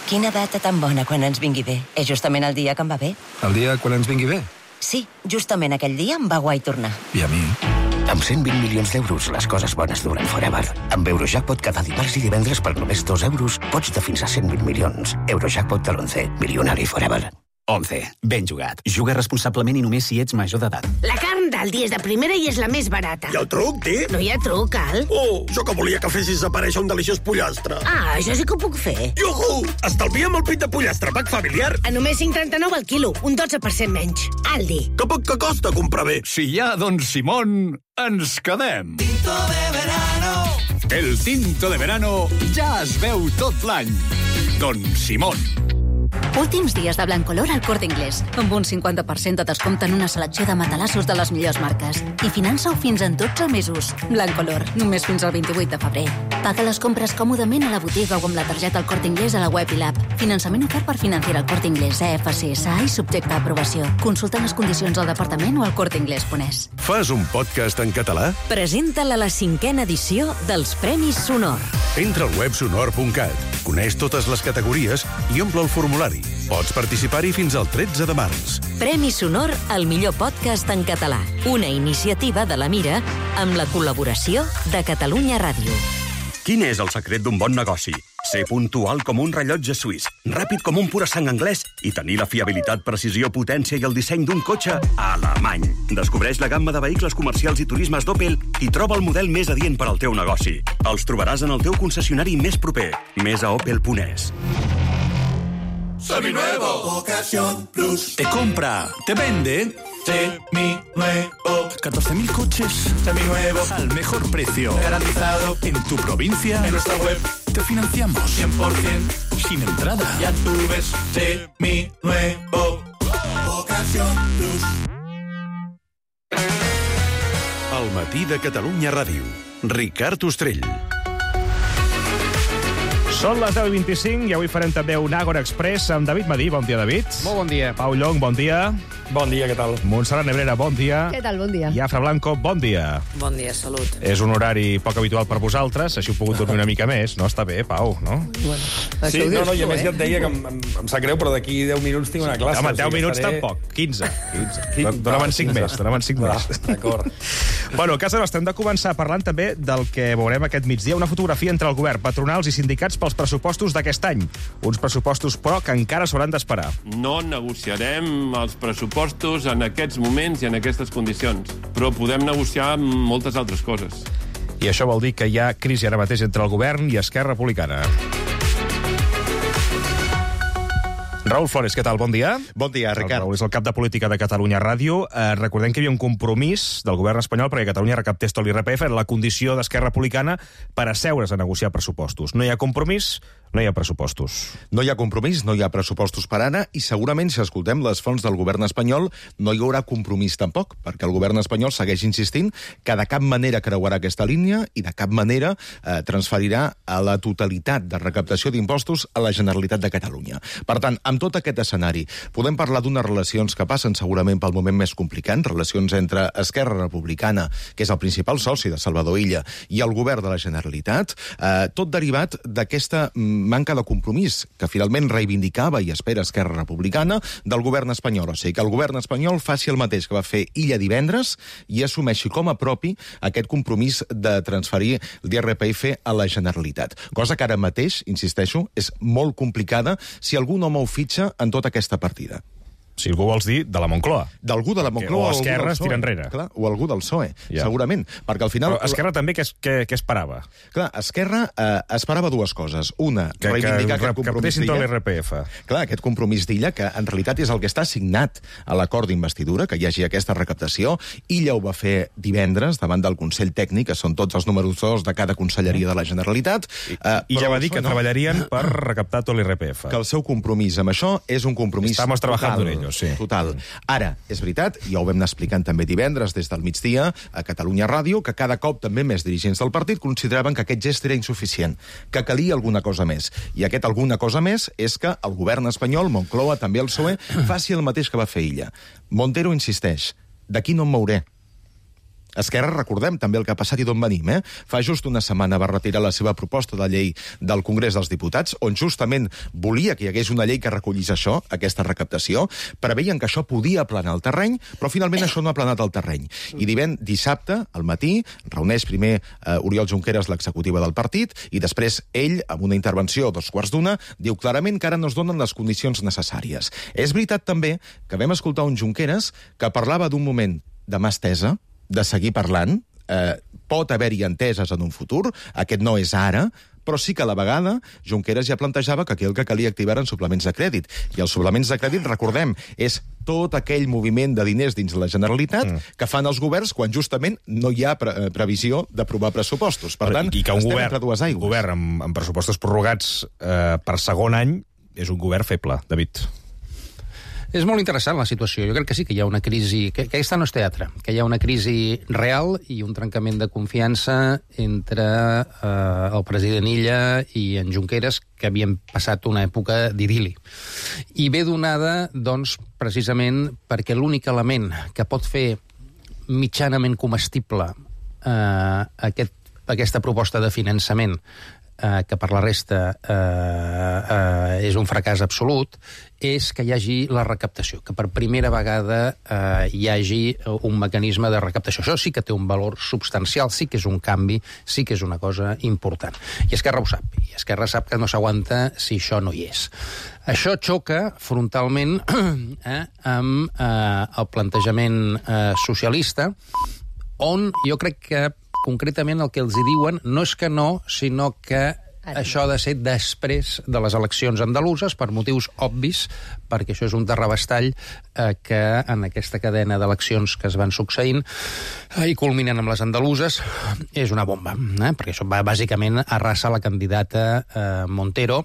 Speaker 12: Quina data tan bona quan ens vingui bé. És justament el dia que em va bé.
Speaker 13: El dia quan ens vingui bé.
Speaker 12: Sí, justament aquell dia em va guai tornar.
Speaker 13: I a mi?
Speaker 14: Amb cent vint milions d'euros, les coses bones duren forever. Amb Eurojackpot cada dimarts i divendres per només dos euros pots de fins a cent vint milions. Eurojackpot de l'onze, milionari forever.
Speaker 15: once. Ben jugat. Juga responsablement i només si ets major d'edat.
Speaker 16: La carn d'Aldi és de primera i és la més barata.
Speaker 17: I el truc, tio?
Speaker 16: No hi ha truc, Al.
Speaker 17: Oh, jo que volia que fessis aparèixer un deliciós pollastre.
Speaker 16: Ah, això sí que ho puc fer.
Speaker 17: Iuhu! Estalvia'm el pit de pollastre, pack familiar.
Speaker 16: A només cinc coma trenta-nou al quilo, un dotze per cent menys. Aldi.
Speaker 17: Que poc que costa comprar bé.
Speaker 9: Si hi ha Don Simón, ens quedem.
Speaker 18: Tinto de verano.
Speaker 9: El tinto de verano ja es veu tot l'any. Don Simón.
Speaker 19: Últims dies de Blancolor al Corte Inglés, amb un cinquanta per cent de descompte en una selecció de matalassos de les millors marques. I finança-ho fins en dotze mesos. Blancolor, només fins al vint-i-vuit de febrer. Paga les compres còmodament a la botiga o amb la targeta al Corte Inglés a la web i l'app. Finançament ofert per Financiera al Corte Inglés, E F C S A i subjecte a aprovació. Consulta les condicions al departament o al corteinglés punt es.
Speaker 20: Fas un podcast en català?
Speaker 12: Presenta-la a la cinquena edició dels Premis Sonor.
Speaker 20: Entra al web sonor punt cat, coneix totes les categories i omple el formulari. Pots participar-hi fins al tretze de març.
Speaker 12: Premi Sonor al millor podcast en català. Una iniciativa de la Mira amb la col·laboració de Catalunya Ràdio.
Speaker 21: Quin és el secret d'un bon negoci? Ser puntual com un rellotge suís, ràpid com un pura sang anglès i tenir la fiabilitat, precisió, potència i el disseny d'un cotxe alemany. Descobreix la gamma de vehicles comercials i turismes d'Opel i troba el model més adient per al teu negoci. Els trobaràs en el teu concessionari més proper. Més a opel punt es.
Speaker 18: Seminuevo, Ocasión Plus.
Speaker 15: Te compra, te vende.
Speaker 18: Seminuevo.
Speaker 15: catorce mil coches
Speaker 18: Seminuevos
Speaker 15: al mejor precio.
Speaker 18: Garantizado.
Speaker 15: En tu provincia.
Speaker 18: En nuestra web.
Speaker 15: Te financiamos.
Speaker 18: cien por ciento.
Speaker 15: Sin entrada.
Speaker 18: Ya tú ves. Seminuevo. Ocasión Plus.
Speaker 20: Al matí de Catalunya Ràdio. Ricard Ostrell.
Speaker 2: Són les deu i vint-i-cinc i avui farem també un Àgora Express amb David Madí. Bon dia, David.
Speaker 22: Molt bon dia.
Speaker 2: Pau Llong, bon dia.
Speaker 22: Bon dia, què tal?
Speaker 2: Montserrat Nebrera, bon dia.
Speaker 23: Què tal, bon dia.
Speaker 2: I Afra Blanco, bon dia.
Speaker 24: Bon dia, salut.
Speaker 2: És un horari poc habitual per vosaltres, així heu pogut dormir una mica més, no? Està bé, Pau, no?
Speaker 23: Bueno,
Speaker 22: sí, no, no, i a més ja et deia que em, em, em sap greu, però d'aquí deu minuts tinc una classe.
Speaker 2: Home, deu
Speaker 22: o sigui,
Speaker 2: minuts
Speaker 22: estaré...
Speaker 2: tampoc, quinze.
Speaker 22: quinze.
Speaker 2: Donaven cinc més, donaven cinc més.
Speaker 22: D'acord.
Speaker 2: Bueno, a casa nostra hem de començar parlant també del que veurem aquest migdia, una fotografia entre el govern, patronals i sindicats pels pressupostos d'aquest any. Uns pressupostos, però, que encara s'hauran d'esperar.
Speaker 25: No negociarem els pressupostos en aquests moments i en aquestes condicions, però podem negociar moltes altres coses.
Speaker 2: I això vol dir que hi ha crisi ara mateix entre el govern i Esquerra Republicana. Raül Flores, què tal? Bon dia.
Speaker 3: Bon dia, Ricard.
Speaker 2: El Raül és el cap de política de Catalunya Ràdio. Eh, recordem que hi havia un compromís del govern espanyol perquè Catalunya recaptés tot l'I R P F, era la condició d'Esquerra Republicana per asseure's a negociar pressupostos. No hi ha compromís, no hi ha pressupostos.
Speaker 26: No hi ha compromís, no hi ha pressupostos per ara, i segurament, si escoltem les fonts del govern espanyol, no hi haurà compromís tampoc, perquè el govern espanyol segueix insistint que de cap manera creuarà aquesta línia i de cap manera eh, transferirà a la totalitat de recaptació d'impostos a la Generalitat de Catalunya. Per tant, amb tot aquest escenari, podem parlar d'unes relacions que passen segurament pel moment més complicat, relacions entre Esquerra Republicana, que és el principal soci de Salvador Illa, i el govern de la Generalitat, eh, tot derivat d'aquesta manca de compromís que finalment reivindicava i espera Esquerra Republicana del govern espanyol. O sigui, que el govern espanyol faci el mateix que va fer Illa divendres i assumeixi com a propi aquest compromís de transferir l'I R P F a la Generalitat. Cosa que ara mateix, insisteixo, és molt complicada si algú no mou fitxa en tota aquesta partida.
Speaker 2: Si algú vols dir, de la Moncloa.
Speaker 26: D'algú de la Moncloa.
Speaker 2: O Esquerra es tira enrere.
Speaker 26: Clar, o algú del P S O E,
Speaker 2: ja.
Speaker 26: Segurament. Perquè al final...
Speaker 2: Però Esquerra també què, què, què esperava?
Speaker 26: Clar, Esquerra eh, esperava dues coses. Una,
Speaker 2: que,
Speaker 26: reivindicar
Speaker 2: que,
Speaker 26: aquest compromís
Speaker 2: d'Illa. Que
Speaker 26: d'Illa.
Speaker 2: l'I R P F.
Speaker 26: Clar, aquest compromís d'Illa, que en realitat és el que està assignat a l'acord d'investidura, que hi hagi aquesta recaptació. Illa ho va fer divendres davant del Consell Tècnic, que són tots els números dos de cada conselleria de la Generalitat.
Speaker 2: I, eh, i ja va dir que no. treballarien per recaptar tot l'I R P F.
Speaker 26: Que el seu compromís amb això és un compromís
Speaker 2: Estamos trabajando
Speaker 26: total.
Speaker 2: en ello, sí.
Speaker 26: Total. Ara, és veritat, ja ho vam anar explicant també divendres des del migdia a Catalunya Ràdio, que cada cop també més dirigents del partit consideraven que aquest gest era insuficient, que calia alguna cosa més. I aquest alguna cosa més és que el govern espanyol, Moncloa, també el P S O E, faci el mateix que va fer Illa. Montero insisteix, d'aquí no em mouré. Esquerra, recordem també el que ha passat i d'on venim, eh? Fa just una setmana va retirar la seva proposta de llei del Congrés dels Diputats, on justament volia que hi hagués una llei que recollís això, aquesta recaptació, preveien que això podia aplanar el terreny, però finalment això no ha aplanat el terreny. I divent dissabte, al matí, reuneix primer eh, Oriol Junqueras, l'executiva del partit, i després ell, amb una intervenció a dos quarts d'una, diu clarament que ara no es donen les condicions necessàries. És veritat també que vam escoltar un Junqueras que parlava d'un moment de mà estesa, de seguir parlant, eh, pot haver-hi enteses en un futur, aquest no és ara, però sí que a la vegada Junqueras ja plantejava que aquí el que calia activar eren suplements de crèdit. I els suplements de crèdit, recordem, és tot aquell moviment de diners dins la Generalitat mm. que fan els governs quan justament no hi ha pre previsió d'aprovar pressupostos. Per tant,
Speaker 2: I que un
Speaker 26: estem
Speaker 2: govern,
Speaker 26: entre dues aigües.
Speaker 2: Un govern amb, amb pressupostos prorrogats eh, per segon any és un govern feble, David.
Speaker 4: És molt interessant la situació. Jo crec que sí que hi ha una crisi... Que, que aquesta no és teatre. Que hi ha una crisi real i un trencament de confiança entre eh, el president Illa i en Junqueras, que havien passat una època d'idili. I ve donada, doncs, precisament perquè l'únic element que pot fer mitjanament comestible eh, aquest, aquesta proposta de finançament, eh, que per la resta eh, eh, és un fracàs absolut, és que hi hagi la recaptació, que per primera vegada eh, hi hagi un mecanisme de recaptació. Això sí que té un valor substancial, sí que és un canvi, sí que és una cosa important. I Esquerra ho sap, i Esquerra sap que no s'aguanta si això no hi és. Això xoca frontalment eh, amb eh, el plantejament eh, socialista, on jo crec que concretament el que els hi diuen no és que no, sinó que això ha de ser després de les eleccions andaluses, per motius obvis, perquè això és un terrabastall eh, que en aquesta cadena d'eleccions que es van succeint eh, i culminen amb les andaluses, és una bomba, eh? Perquè això va, bàsicament arrasa la candidata eh, Montero,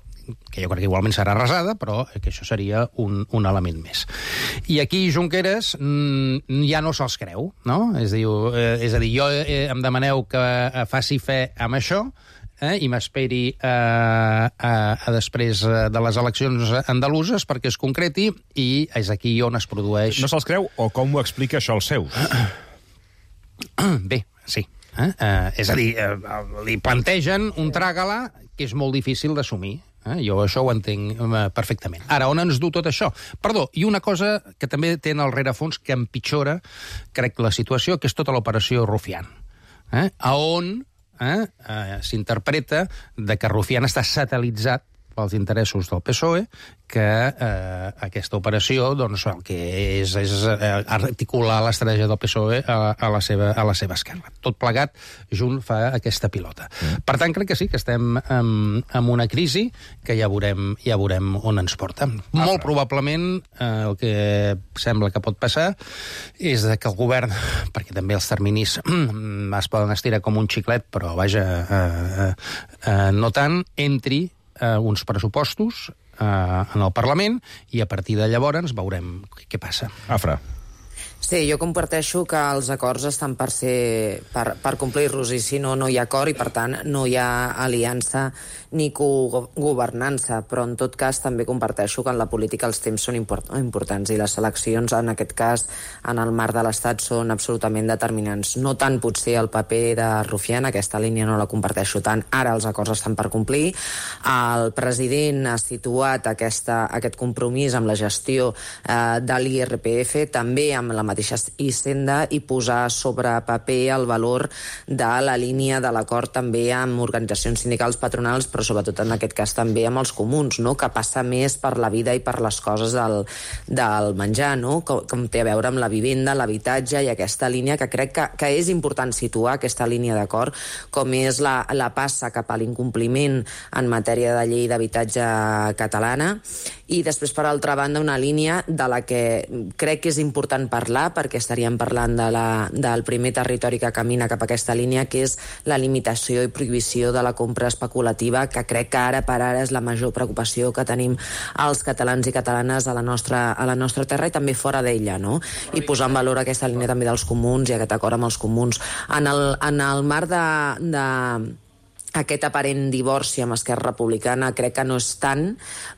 Speaker 4: que jo crec que igualment serà arrasada, però que això seria un, un element més. I aquí Junqueras mm, ja no se'ls creu, no? És, diu, eh, és a dir, jo eh, em demaneu que faci fe amb això, eh, i m'esperi eh, a, a després de les eleccions andaluses perquè es concreti, i és aquí on es produeix...
Speaker 2: No se'ls creu, o com ho explica això als seus?
Speaker 4: Bé, sí. Eh? Eh, és a dir, eh, li plantegen un tràgala que és molt difícil d'assumir. Eh? Jo això ho entenc eh, perfectament. Ara, on ens du tot això? Perdó, i una cosa que també té en el rerefons que empitjora, crec, la situació, que és tota l'operació Rufián. Eh? A on eh, eh, s'interpreta de que Rufián està satelitzat pels interessos del P S O E, que eh, aquesta operació doncs, el que és, és eh, articular l'estratègia del P S O E a, a, la seva, a la seva esquerra. Tot plegat, junt fa aquesta pilota. Mm. Per tant, crec que sí, que estem en, en una crisi que ja veurem, ja veurem on ens porta. Ah, Molt probablement eh, el que sembla que pot passar és que el govern, perquè també els terminis es poden estirar com un xiclet, però vaja, eh, eh, no tant, entri Uh, uns pressupostos uh, en el Parlament, i a partir de llavors veurem què passa.
Speaker 2: Afra.
Speaker 6: Sí, jo comparteixo que els acords estan per ser per, per complir-los, i si no, no hi ha acord, i per tant no hi ha aliança ni cogovernança, però en tot cas també comparteixo que en la política els temps són import importants, i les eleccions en aquest cas en el marc de l'Estat són absolutament determinants. No tant potser el paper de Rufián, aquesta línia no la comparteixo tant, ara els acords estan per complir. El president ha situat aquesta, aquest compromís amb la gestió eh, de l'I R P F, també amb la mateixa Hisenda, i posar sobre paper el valor de la línia de l'acord també amb organitzacions sindicals patronals, però sobretot en aquest cas també amb els comuns, no? Que passa més per la vida i per les coses del, del menjar, no? Com, com té a veure amb la vivenda, l'habitatge, i aquesta línia que crec que, que és important situar, aquesta línia d'acord, com és la, la passa cap a l'incompliment en matèria de llei d'habitatge catalana, i després, per altra banda, una línia de la que crec que és important parlar, perquè estaríem parlant de la, del primer territori que camina cap a aquesta línia, que és la limitació i prohibició de la compra especulativa, que crec que ara per ara és la major preocupació que tenim els catalans i catalanes a la nostra, a la nostra terra i també fora d'ella, no? I posar en valor aquesta línia també dels comuns i aquest acord amb els comuns. En el, en el marc de... de aquest aparent divorci amb Esquerra Republicana crec que no és tant,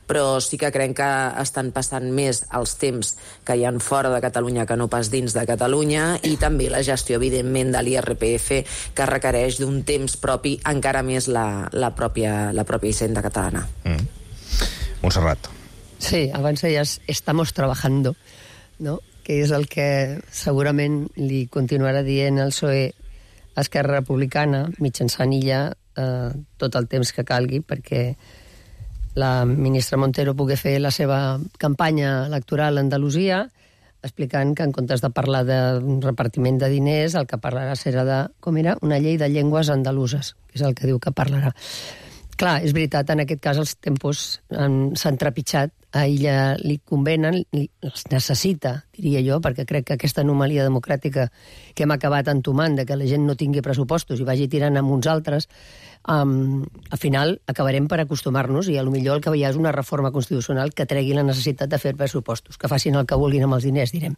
Speaker 6: però sí que crec que estan passant més els temps que hi ha fora de Catalunya que no pas dins de Catalunya, i també la gestió, evidentment, de l'I R P F, que requereix d'un temps propi, encara més la, la, pròpia, la pròpia Hisenda catalana.
Speaker 2: Mm. Montserrat.
Speaker 7: Sí, abans deies, estamos trabajando, ¿no? Que és el que segurament li continuarà dient el P S O E a Esquerra Republicana, mitjançant Illa, Eh, tot el temps que calgui, perquè la ministra Montero pugui fer la seva campanya electoral a Andalusia, explicant que en comptes de parlar de repartiment de diners, el que parlarà serà de, com era, una llei de llengües andaluses, que és el que diu que parlarà. Clar, és veritat, en aquest cas els tempos s'han trepitjat, a ella li convenen, li, els necessita, diria jo, perquè crec que aquesta anomalia democràtica que hem acabat entomant, de que la gent no tingui pressupostos i vagi tirant amb uns altres, um, al final acabarem per acostumar-nos i a lo millor el que hi ha és una reforma constitucional que tregui la necessitat de fer pressupostos, que facin el que vulguin amb els diners, direm.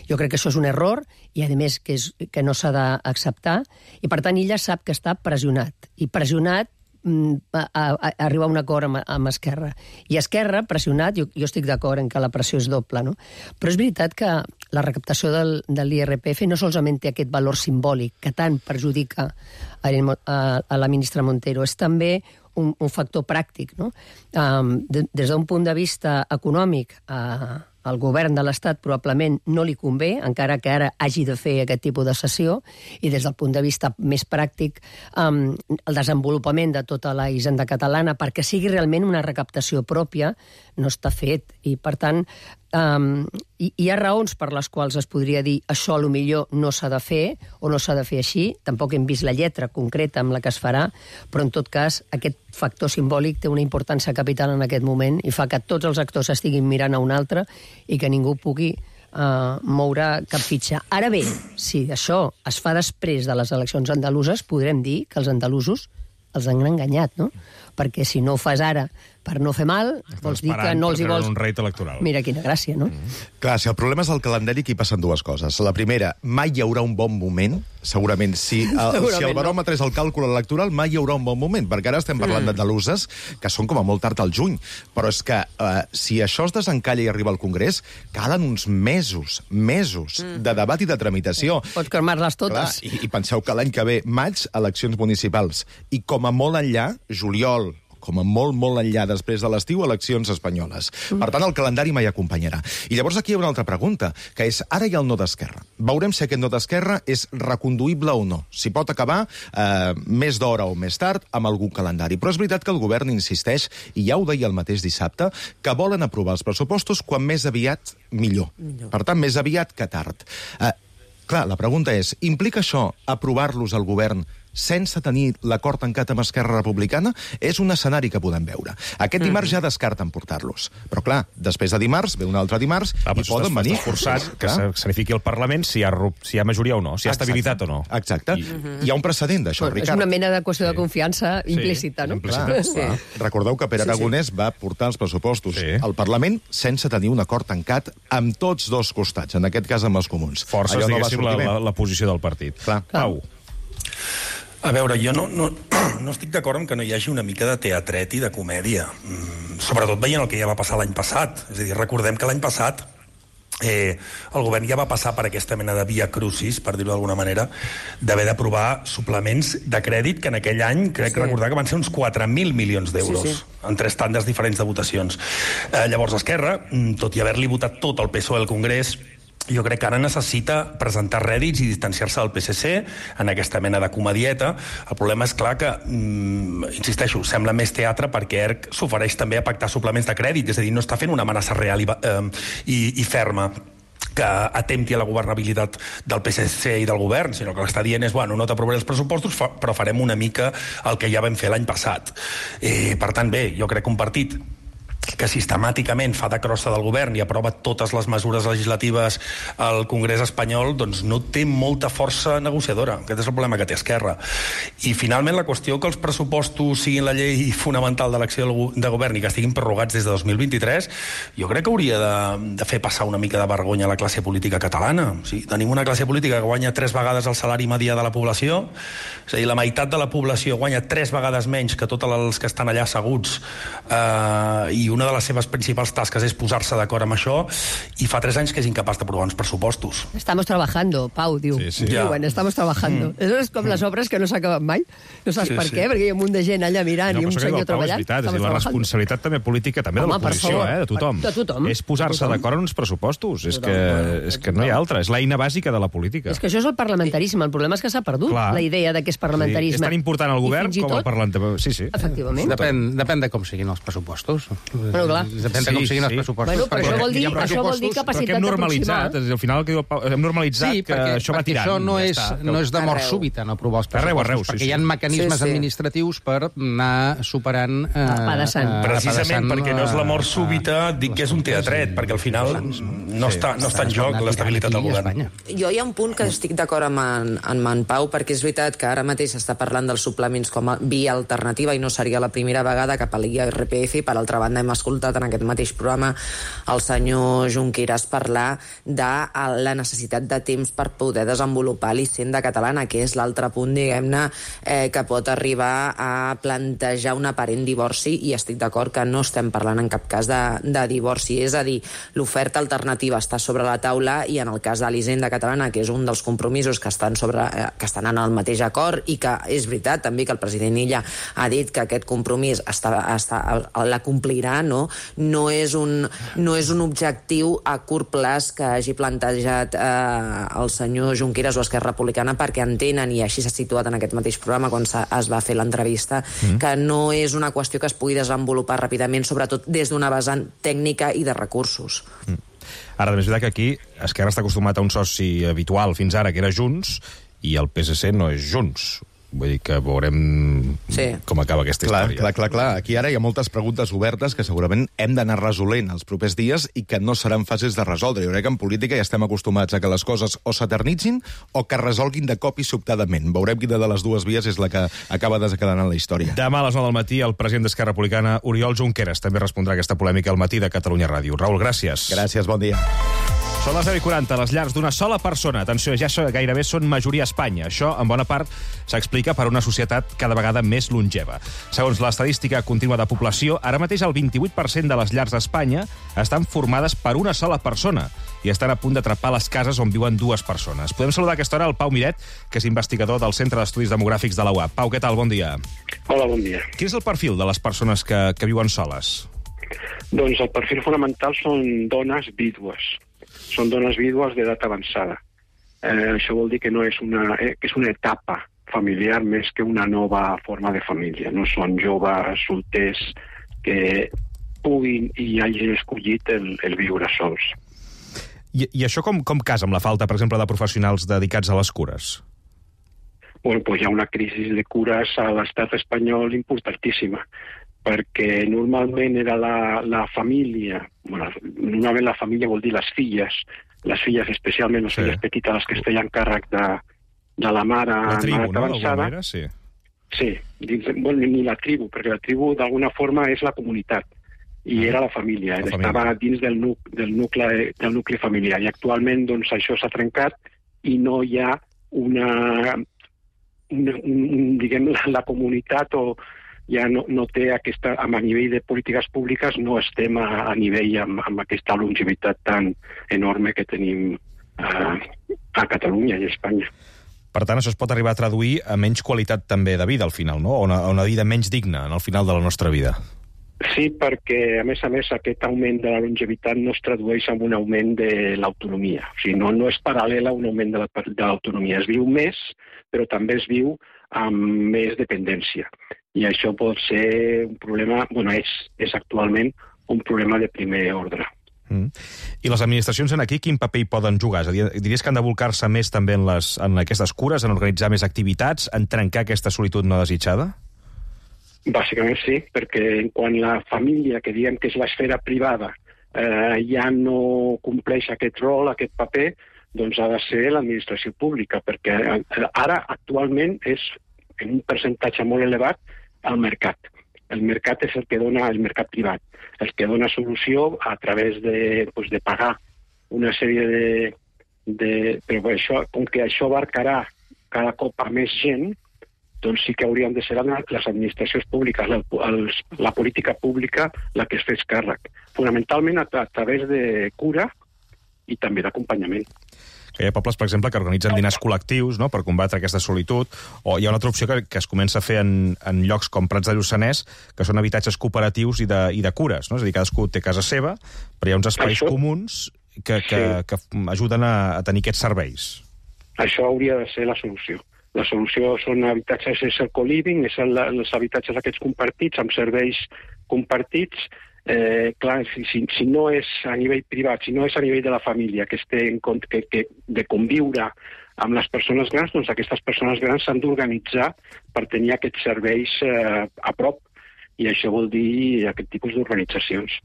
Speaker 7: Jo crec que això és un error i, a més, que, és, que no s'ha d'acceptar i, per tant, ella sap que està pressionat. I pressionat a, a, a arribar a un acord amb, amb Esquerra. I Esquerra, pressionat, jo, jo estic d'acord en que la pressió és doble, no? Però és veritat que la recaptació del, de l'I R P F no solament té aquest valor simbòlic que tant perjudica a, a, a la ministra Montero, és també un, un factor pràctic, no? Um, de, des d'un punt de vista econòmic, uh, al govern de l'Estat probablement no li convé, encara que ara hagi de fer aquest tipus de sessió, i des del punt de vista més pràctic, um, el desenvolupament de tota la hisenda catalana, perquè sigui realment una recaptació pròpia, no està fet. I, per tant, um, hi, hi ha raons per les quals es podria dir això a lo millor no s'ha de fer, o no s'ha de fer així. Tampoc hem vist la lletra concreta amb la que es farà, però en tot cas aquest factor simbòlic té una importància capital en aquest moment i fa que tots els actors estiguin mirant a un altre i que ningú pugui uh, moure cap fitxa. Ara bé, si això es fa després de les eleccions andaluses, podrem dir que els andalusos els han enganyat, no? Perquè si no ho fas ara per no fer mal, vols dir que no els hi vols...
Speaker 2: un reit electoral.
Speaker 7: Mira quina gràcia, no?
Speaker 26: Mm. Clar, si el problema és el calendari, aquí passen dues coses. La primera, mai hi haurà un bon moment, segurament. Si el, segurament si el baròmetre no. és el càlcul electoral, mai hi haurà un bon moment, perquè ara estem parlant mm. d'andaluses, que són com a molt tard al juny. Però és que uh, si això es desencalla i arriba al Congrés, calen uns mesos, mesos mm. de debat i de tramitació.
Speaker 7: Pots cremar-les totes.
Speaker 26: Clar, i, i penseu que l'any que ve, maig, eleccions municipals. I com a molt enllà, juliol, com a molt, molt enllà després de l'estiu, eleccions espanyoles. Mm. Per tant, el calendari mai acompanyarà. I llavors aquí hi ha una altra pregunta, que és, ara hi ha el no d'Esquerra. Veurem si aquest no d'Esquerra és reconduïble o no. Si pot acabar eh, més d'hora o més tard amb algun calendari. Però és veritat que el govern insisteix, i ja ho deia el mateix dissabte, que volen aprovar els pressupostos quan més aviat millor. millor. Per tant, més aviat que tard. Eh, clar, la pregunta és, implica això aprovar-los al govern sense tenir l'acord tancat amb Esquerra Republicana? És un escenari que podem veure. Aquest dimarts mm-hmm. ja descarten portar-los. Però, clar, després de dimarts, ve un altre dimarts, ah, i poden venir.
Speaker 2: Estàs forçat que s'anifiqui el Parlament si hi, ha, si hi ha majoria o no, si hi ha Exacte. estabilitat o no.
Speaker 26: Exacte. I... Mm-hmm. Hi ha un precedent d'això, bueno, Ricard.
Speaker 7: És una mena de qüestió sí. de confiança implícita, sí. no?
Speaker 26: Clar, sí. clar. Recordeu que Pere Aragonès sí, sí. va portar els pressupostos sí. al Parlament sense tenir un acord tancat amb tots dos costats, en aquest cas amb els comuns.
Speaker 2: Forces, no diguéssim, la, la, la posició del partit.
Speaker 26: Clar.
Speaker 2: Pau.
Speaker 22: A veure, jo no, no, no estic d'acord amb que no hi hagi una mica de teatret i de comèdia. Mm, sobretot veient el que ja va passar l'any passat. És a dir, recordem que l'any passat eh, el govern ja va passar per aquesta mena de via crucis, per dir-ho d'alguna manera, d'haver d'aprovar suplements de crèdit que en aquell any, crec sí. recordar que van ser uns quatre mil milions d'euros, sí, sí. en tres tandes diferents de votacions. Eh, llavors, Esquerra, tot i haver-li votat tot el P S O E al Congrés, jo crec que ara necessita presentar rèdits i distanciar-se del P S C en aquesta mena de comedieta. El problema és clar que, mm, insisteixo, sembla més teatre perquè E R C s'ofereix també a pactar suplements de crèdit, és a dir, no està fent una amenaça real i, eh, i, i ferma que atempti a la governabilitat del P S C i del govern, sinó que l'està dient és, bueno, no t'aprovaré els pressupostos, però farem una mica el que ja vam fer l'any passat. Eh, per tant, bé, jo crec que un partit que sistemàticament fa de crossa del govern i aprova totes les mesures legislatives al Congrés espanyol, doncs no té molta força negociadora. Aquest és el problema que té Esquerra. I finalment la qüestió que els pressupostos siguin la llei fonamental de l'acció de govern i que estiguin prorrogats des de dos mil vint-i-tres, jo crec que hauria de, de fer passar una mica de vergonya a la classe política catalana. O sigui, tenim una classe política que guanya tres vegades el salari medià de la població, és a dir, la meitat de la població guanya tres vegades menys que tots els que estan allà asseguts, eh, i una de les seves principals tasques és posar-se d'acord amb això, i fa tres anys que és incapaç d'aprovar uns pressupostos.
Speaker 7: Estamos trabajando, Pau, diu. Sí, sí. Ja. Diuen, estamos trabajando. Mm. És com les obres que no s'acaben mai. No saps sí, per sí. què, perquè hi ha un munt de gent allà mirant no, i un senyor treballant.
Speaker 2: És veritat, és la responsabilitat també política, també Home, de l'oposició, eh, de tothom.
Speaker 7: De tothom.
Speaker 2: És posar-se d'acord en uns pressupostos. És que, és que no hi ha altra. És l'eina bàsica de la política.
Speaker 7: És que això és el parlamentarisme. El problema és que s'ha perdut Clar. la idea de que és parlamentarisme.
Speaker 2: Sí. És tan important el govern com el parlamentari. Sí, sí.
Speaker 7: Efectivament.
Speaker 4: Depèn, depèn de com siguin els pressupostos.
Speaker 7: Bueno, clar.
Speaker 4: Depèn de com siguin els pressupostos.
Speaker 7: Bueno, però això vol dir, això vol dir
Speaker 2: Però
Speaker 7: capacitat
Speaker 2: que hem normalitzat,
Speaker 7: d'aproximar.
Speaker 2: al final el que diu el Pau, hem normalitzat
Speaker 4: Sí,
Speaker 2: que
Speaker 4: perquè,
Speaker 2: això va
Speaker 4: perquè
Speaker 2: tirant.
Speaker 4: això no
Speaker 2: ja
Speaker 4: és,
Speaker 2: està.
Speaker 4: no és de mort
Speaker 6: Arreu.
Speaker 4: súbita, no aprovar els
Speaker 2: Arreu,
Speaker 4: pressupostos,
Speaker 2: arreu, sí,
Speaker 4: perquè
Speaker 2: sí.
Speaker 4: hi ha mecanismes
Speaker 6: Sí, sí.
Speaker 4: administratius per anar superant... Eh,
Speaker 7: Apedaçant.
Speaker 4: eh,
Speaker 22: Precisament
Speaker 4: apedaçant,
Speaker 22: perquè no és la mort
Speaker 4: eh,
Speaker 22: súbita, dic que és un teatret, perquè al final no està, no està en joc l'estabilitat del govern.
Speaker 6: Jo hi ha un punt que estic d'acord amb en, amb en Pau, perquè és veritat que ara mateix s'està parlant dels suplements com a via alternativa i no seria la primera vegada que per l'I R P F, i per altra banda hem escoltat en aquest mateix programa el senyor Junqueras parlar de la necessitat de temps per poder desenvolupar l'Hisenda catalana, que és l'altre punt, diguem-ne, eh, que pot arribar a plantejar un aparent divorci, i estic d'acord que no estem parlant en cap cas de, de divorci, és a dir, l'oferta alternativa està sobre la taula, i en el cas de l'Hisenda catalana, que és un dels compromisos que estan, sobre, eh, que estan en el mateix acord, i que és veritat també que el president Illa ha dit que aquest compromís està, està, la complirà, no? No és un, no és un objectiu a curt plaç que hagi plantejat eh, el senyor Junqueras o Esquerra Republicana, perquè entenen, i així s'ha situat en aquest mateix programa quan es va fer l'entrevista, mm. que no és una qüestió que es pugui desenvolupar ràpidament, sobretot des d'una vessant tècnica i de recursos.
Speaker 2: Mm. Ara, també és veritat que aquí Esquerra està acostumat a un soci habitual fins ara, que era Junts, i el P S C no és Junts. Vull dir que veurem sí. com acaba aquesta
Speaker 26: clar,
Speaker 2: història.
Speaker 26: Clar, clar, clar. Aquí ara hi ha moltes preguntes obertes que segurament hem d'anar resolent els propers dies i que no seran fàcils de resoldre. Jo crec que en política ja estem acostumats a que les coses o s'eternitzin o que es resolguin de cop i sobtadament. Veurem quina de les dues vies és la que acaba desencadenant la història.
Speaker 2: Demà a les nou del matí el president d'Esquerra Republicana, Oriol Junqueras, també respondrà a aquesta polèmica al matí de Catalunya Ràdio. Raül, gràcies.
Speaker 26: Gràcies, bon dia.
Speaker 2: Són les deu i quaranta, les llars d'una sola persona. Atenció, ja gairebé són majoria a Espanya. Això, en bona part, s'explica per una societat cada vegada més longeva. Segons l'estadística contínua de població, ara mateix el vint-i-vuit per cent de les llars d'Espanya estan formades per una sola persona i estan a punt d'atrapar les cases on viuen dues persones. Podem saludar a aquesta hora el Pau Miret, que és investigador del Centre d'Estudis Demogràfics de la U A P. Pau, què tal? Bon dia.
Speaker 1: Hola, bon dia.
Speaker 2: Quin és el perfil de les persones que, que viuen soles?
Speaker 1: Doncs el perfil fonamental són dones vídues. Són dones vídues d'edat avançada. Eh, això vol dir que no és una, eh, que és una etapa familiar més que una nova forma de família. No són joves solters que puguin i hagin escollit el, el viure sols.
Speaker 2: I, i això com, com casa amb la falta, per exemple, de professionals dedicats a les cures?
Speaker 1: Bueno, pues hi ha una crisi de cures a l'estat espanyol importantíssima, perquè normalment era la, la família, bueno, normalment la família vol dir les filles, les filles especialment les sí. filles petites, les que es feien càrrec de, de la mare,
Speaker 2: la tribu,
Speaker 1: mare
Speaker 2: no?
Speaker 1: avançada.
Speaker 2: Manera, sí.
Speaker 1: Sí, dins, bueno, ni la tribu, perquè la tribu d'alguna forma és la comunitat, i ah, era la família, la estava família. dins del, nu, del, nucli, del nucli familiar, i actualment doncs, això s'ha trencat i no hi ha una, una un, diguem, la, la comunitat o ja no, no té aquesta, a nivell de polítiques públiques no estem a, a nivell amb, amb aquesta longevitat tan enorme que tenim a, a Catalunya i a Espanya.
Speaker 2: Per tant, això es pot arribar a traduir a menys qualitat també de vida al final, no? O una, una vida menys digna en el final de la nostra vida.
Speaker 1: Sí, perquè a més a més aquest augment de la longevitat no es tradueix en un augment de l'autonomia. O sigui, no, no és paral·lel a un augment de l'autonomia. Es viu més, però també es viu amb més dependència. I això pot ser un problema, bueno, és, és actualment un problema de primer ordre.
Speaker 2: Mm. I les administracions en aquí quin paper hi poden jugar? És a dir, diries que han de volcar-se més també en, les, en aquestes cures, en organitzar més activitats, en trencar aquesta solitud no desitjada?
Speaker 1: Bàsicament sí, perquè quan la família, que diem que és l'esfera privada, eh, ja no compleix aquest rol, aquest paper, doncs ha de ser l'administració pública, perquè ara actualment és en un percentatge molt elevat al mercat. El mercat és el que dona, el mercat privat, el que dona solució a través de, pues, de pagar una sèrie de... de però això, com que això abarcarà cada cop a més gent, doncs sí que haurien de ser les administracions públiques, la, els, la política pública la que es fes càrrec. Fonamentalment a, a través de cura i també d'acompanyament.
Speaker 2: Que hi ha pobles, per exemple, que organitzen dinars col·lectius, no?, per combatre aquesta solitud, o hi ha una altra opció que, que es comença a fer en, en llocs com Prats de Lluçanès, que són habitatges cooperatius i de, i de cures, no? És a dir, cadascú té casa seva, però hi ha uns espais Això... comuns que, que, sí. que ajuden a, a tenir aquests serveis.
Speaker 1: Això hauria de ser la solució. La solució són habitatges, és el co-living, és el, els habitatges aquests compartits, amb serveis compartits, Eh, clar, si, si, si no és a nivell privat, si no és a nivell de la família que es té en compte que, que, de conviure amb les persones grans, doncs aquestes persones grans s'han d'organitzar per tenir aquests serveis eh, a prop, i això vol dir aquest tipus d'organitzacions.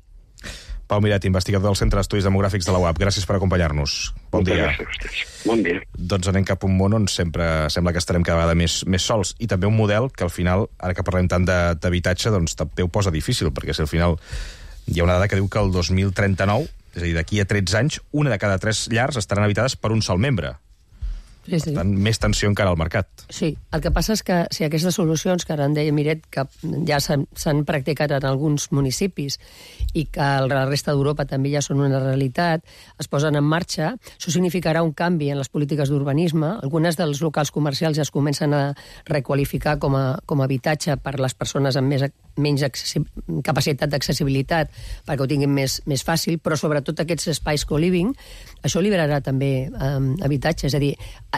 Speaker 2: Pau Miret, investigador del Centre d'Estudis Demogràfics de la U A P, gràcies per acompanyar-nos. Bon
Speaker 1: Moltes
Speaker 2: dia.
Speaker 1: gràcies a vostès. Bon dia.
Speaker 2: Doncs anem cap a un món on sempre sembla que estarem cada vegada més, més sols, i també un model que al final, ara que parlem tant d'habitatge, doncs també ho posa difícil, perquè si al final hi ha una dada que diu que el dos mil trenta-nou, és a dir, d'aquí a tretze anys, una de cada tres llars estaran habitades per un sol membre.
Speaker 7: Sí, sí.
Speaker 2: Per tant, més tensió encara al mercat.
Speaker 7: Sí, el que passa és que si aquestes solucions, que ara en deia Miret, que ja s'han practicat en alguns municipis i que a la resta d'Europa també ja són una realitat, es posen en marxa, això significarà un canvi en les polítiques d'urbanisme. Algunes dels locals comercials ja es comencen a requalificar com a, com a habitatge per les persones amb més, menys capacitat d'accessibilitat, perquè ho tinguin més, més fàcil, però sobretot aquests espais co-living, això liberarà també eh, habitatge. És a dir,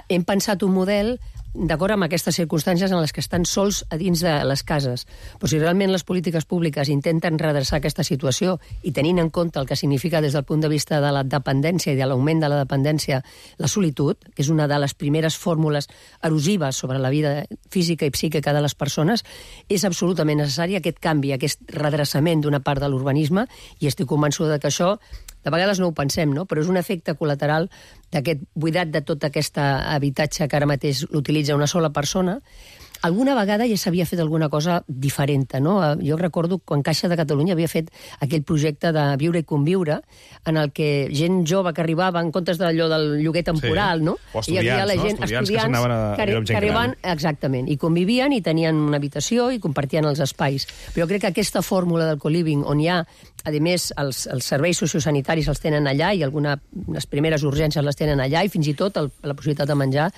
Speaker 7: hem pensat un model d'acord amb aquestes circumstàncies en les que estan sols a dins de les cases. Però si realment les polítiques públiques intenten redreçar aquesta situació i tenint en compte el que significa des del punt de vista de la dependència i de l'augment de la dependència la solitud, que és una de les primeres fórmules erosives sobre la vida física i psíquica de les persones, és absolutament necessari aquest canvi, aquest redreçament d'una part de l'urbanisme, i estic convençuda que això de vegades no ho pensem, no? Però és un efecte col·lateral d'aquest buidat de tot aquest habitatge que ara mateix l'utilitza una sola persona. Alguna vegada ja s'havia fet alguna cosa diferent, no? Jo recordo quan Caixa de Catalunya havia fet aquell projecte de viure i conviure, en el que gent jove que arribava, en comptes d'allò del lloguer temporal, sí. No?
Speaker 2: O estudiants, hi havia la gent, no? Estudiants, estudiants que s'anaven a
Speaker 7: que,
Speaker 2: viure amb gent
Speaker 7: que arribaven,
Speaker 2: gran.
Speaker 7: Exactament, i convivien i tenien una habitació i compartien els espais. Però jo crec que aquesta fórmula del co-living, on hi ha, a més, els, els serveis sociosanitaris els tenen allà i alguna, les primeres urgències les tenen allà, i fins i tot el, la possibilitat de menjar,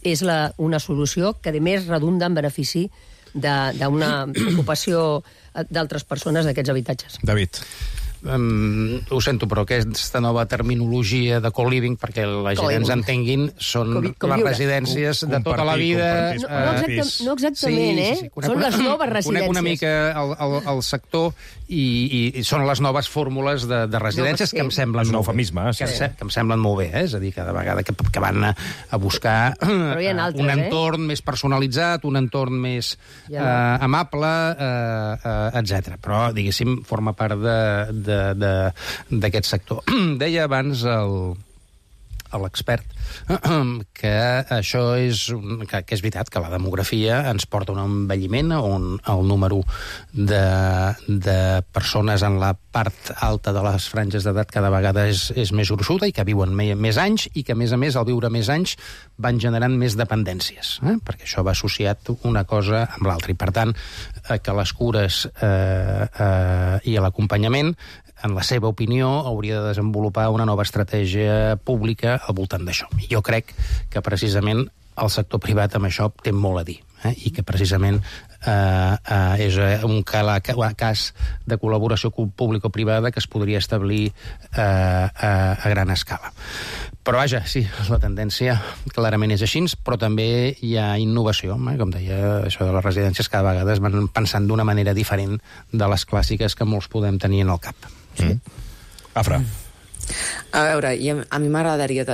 Speaker 7: és la, una solució que, a més, redunda en benefici d'una ocupació d'altres persones d'aquests habitatges.
Speaker 2: David.
Speaker 4: Um, ho sento, però aquesta nova terminologia de co-living, perquè la gent ens entenguin, són
Speaker 7: com, com
Speaker 4: les
Speaker 7: viure.
Speaker 4: residències de tota la vida.
Speaker 7: No, no, exacta, no exactament, sí, sí, sí. eh? Són les noves residències.
Speaker 4: Conec una mica el, el, el sector i, i, i són les noves fórmules de, de residències no, sí. que em semblen
Speaker 2: un
Speaker 4: molt
Speaker 2: eufemisme,
Speaker 4: bé.
Speaker 2: sí.
Speaker 4: Que, que em semblen molt bé, eh? És a dir, cada vegada que, que van a, a buscar
Speaker 7: altres,
Speaker 4: un entorn
Speaker 7: eh?
Speaker 4: més personalitzat, un entorn més ja. uh, amable, uh, uh, etcètera. Però, diguéssim, forma part de, de d'aquest sector. Deia abans el, l'expert que això és, que, que és veritat, que la demografia ens porta a un envelliment on el número de, de persones en la part alta de les franges d'edat cada vegada és, és més gruixuda i que viuen me, més anys i que, a més a més, al viure més anys van generant més dependències, eh? Perquè això va associat una cosa amb l'altra. I, per tant, eh, que les cures eh, eh, i l'acompanyament, en la seva opinió, hauria de desenvolupar una nova estratègia pública al voltant d'això. I jo crec que precisament el sector privat amb això té molt a dir, eh? I que precisament eh, eh, és un cas de col·laboració público-privada que es podria establir eh, a, a gran escala. Però vaja, sí, la tendència clarament és així, però també hi ha innovació, eh? Com deia, això de les residències cada vegada es van pensant d'una manera diferent de les clàssiques que molts podem tenir en el cap.
Speaker 2: Sí. Mm. Afra.
Speaker 6: A veure, a mi m'agradaria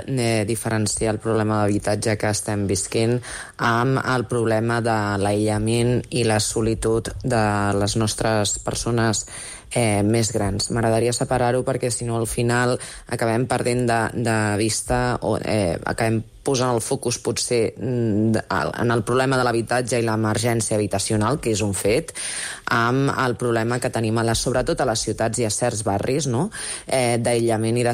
Speaker 6: diferenciar el problema d'habitatge que estem visquent amb el problema de l'aïllament i la solitud de les nostres persones eh, més grans. M'agradaria separar-ho perquè, si no, al final acabem perdent de, de vista o eh, acabem posant el focus potser en el problema de l'habitatge i l'emergència habitacional, que és un fet, amb el problema que tenim a les, sobretot a les ciutats i a certs barris, no? eh, d'aïllament i de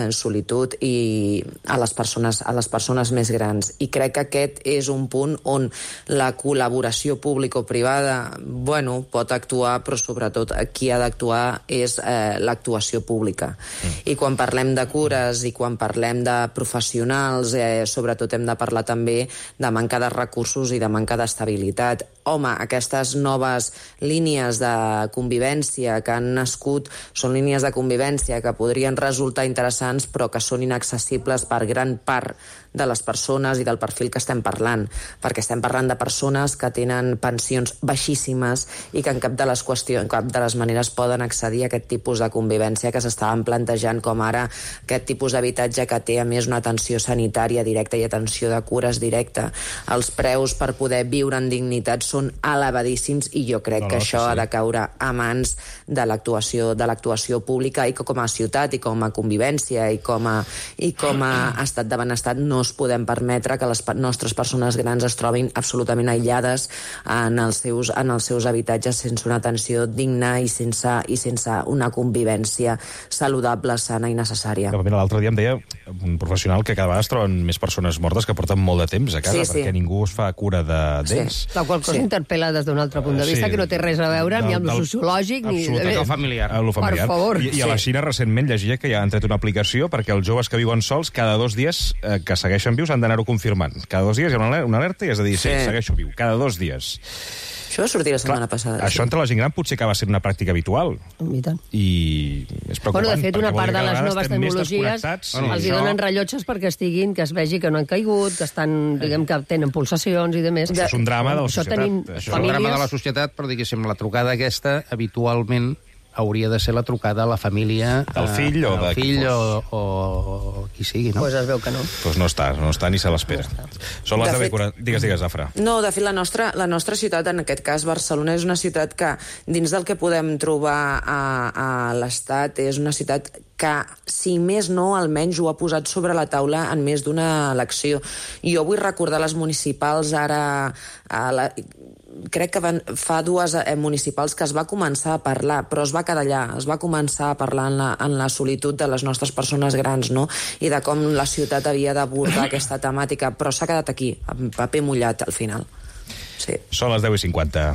Speaker 6: solitud i a les persones, a les persones més grans. I crec que aquest és un punt on la col·laboració público-privada, bueno, pot actuar, però sobretot qui ha d'actuar és eh, l'actuació pública. Mm. I quan parlem de cures i quan parlem de professionals, eh, sobretot hem de parlar també de manca de recursos i de manca d'estabilitat. Home, aquestes noves línies de convivència que han nascut són línies de convivència que podrien resultar interessants però que són inaccessibles per gran part de les persones i del perfil que estem parlant, perquè estem parlant de persones que tenen pensions baixíssimes i que en cap de les qüestions, en cap de les maneres poden accedir a aquest tipus de convivència que s'estaven plantejant, com ara aquest tipus d'habitatge que té a més una atenció sanitària directa i atenció de cures directa. Els preus per poder viure en dignitat són elevadíssims i jo crec no, no, que això sí. ha de caure a mans de l'actuació de l'actuació pública i que com a ciutat i com a convivència i com a, i com a estat de benestar no es podem permetre que les nostres persones grans es trobin absolutament aïllades en els seus, en els seus habitatges sense una atenció digna i sense, i sense una convivència saludable, sana i necessària.
Speaker 2: L'altre dia em deia un professional que cada vegada es troben més persones mortes que porten molt de temps a casa sí, sí. perquè ningú es fa cura d'ells.
Speaker 7: Sí. La qual cosa sí. interpel·la des d'un altre punt de vista sí. que no té res a veure del, ni amb el sociològic ni...
Speaker 2: Absolutament.
Speaker 4: Lo familiar.
Speaker 2: Lo familiar.
Speaker 7: Per favor.
Speaker 2: I, i a la Xina recentment llegia que ja han tret una aplicació perquè els joves que viuen sols cada dos dies eh, que segueixen vius han d'anar-ho confirmant. Cada dos dies hi ha una alerta i has de dir sí, sí segueixo viu. Cada dos dies.
Speaker 6: Això va sortir la setmana Clar, passada.
Speaker 2: Això sí. entre la gent gran potser acaba sent una pràctica habitual.
Speaker 7: I tant.
Speaker 2: I és preocupant.
Speaker 7: Bueno, de fet, una part de les noves tecnologies sí, els hi donen rellotges perquè estiguin, que es vegi que no han caigut, que estan, diguem, que tenen pulsacions i de més.
Speaker 2: Això és un drama de la societat.
Speaker 4: Això, això és un drama de la societat, però diguéssim, la trucada aquesta habitualment hauria de ser la trucada a la família...
Speaker 2: Del fill o de...
Speaker 4: fill o, o, o qui sigui, no?
Speaker 7: Pues es veu que no.
Speaker 2: Pues no està, no està ni se l'espera. No Són les deu i quaranta... Digues, digues, Zafra.
Speaker 6: No, de fet, la nostra, la nostra ciutat, en aquest cas Barcelona, és una ciutat que, dins del que podem trobar a, a l'Estat, és una ciutat que, si més no, almenys ho ha posat sobre la taula en més d'una elecció. Jo vull recordar les municipals ara... A la, crec que van, fa dues eh, municipals que es va començar a parlar, però es va quedar allà, es va començar a parlar en la, en la solitud de les nostres persones grans, no? I de com la ciutat havia d'abordar aquesta temàtica, però s'ha quedat aquí, amb paper mullat, al final. Sí.
Speaker 2: Són les deu i cinquanta.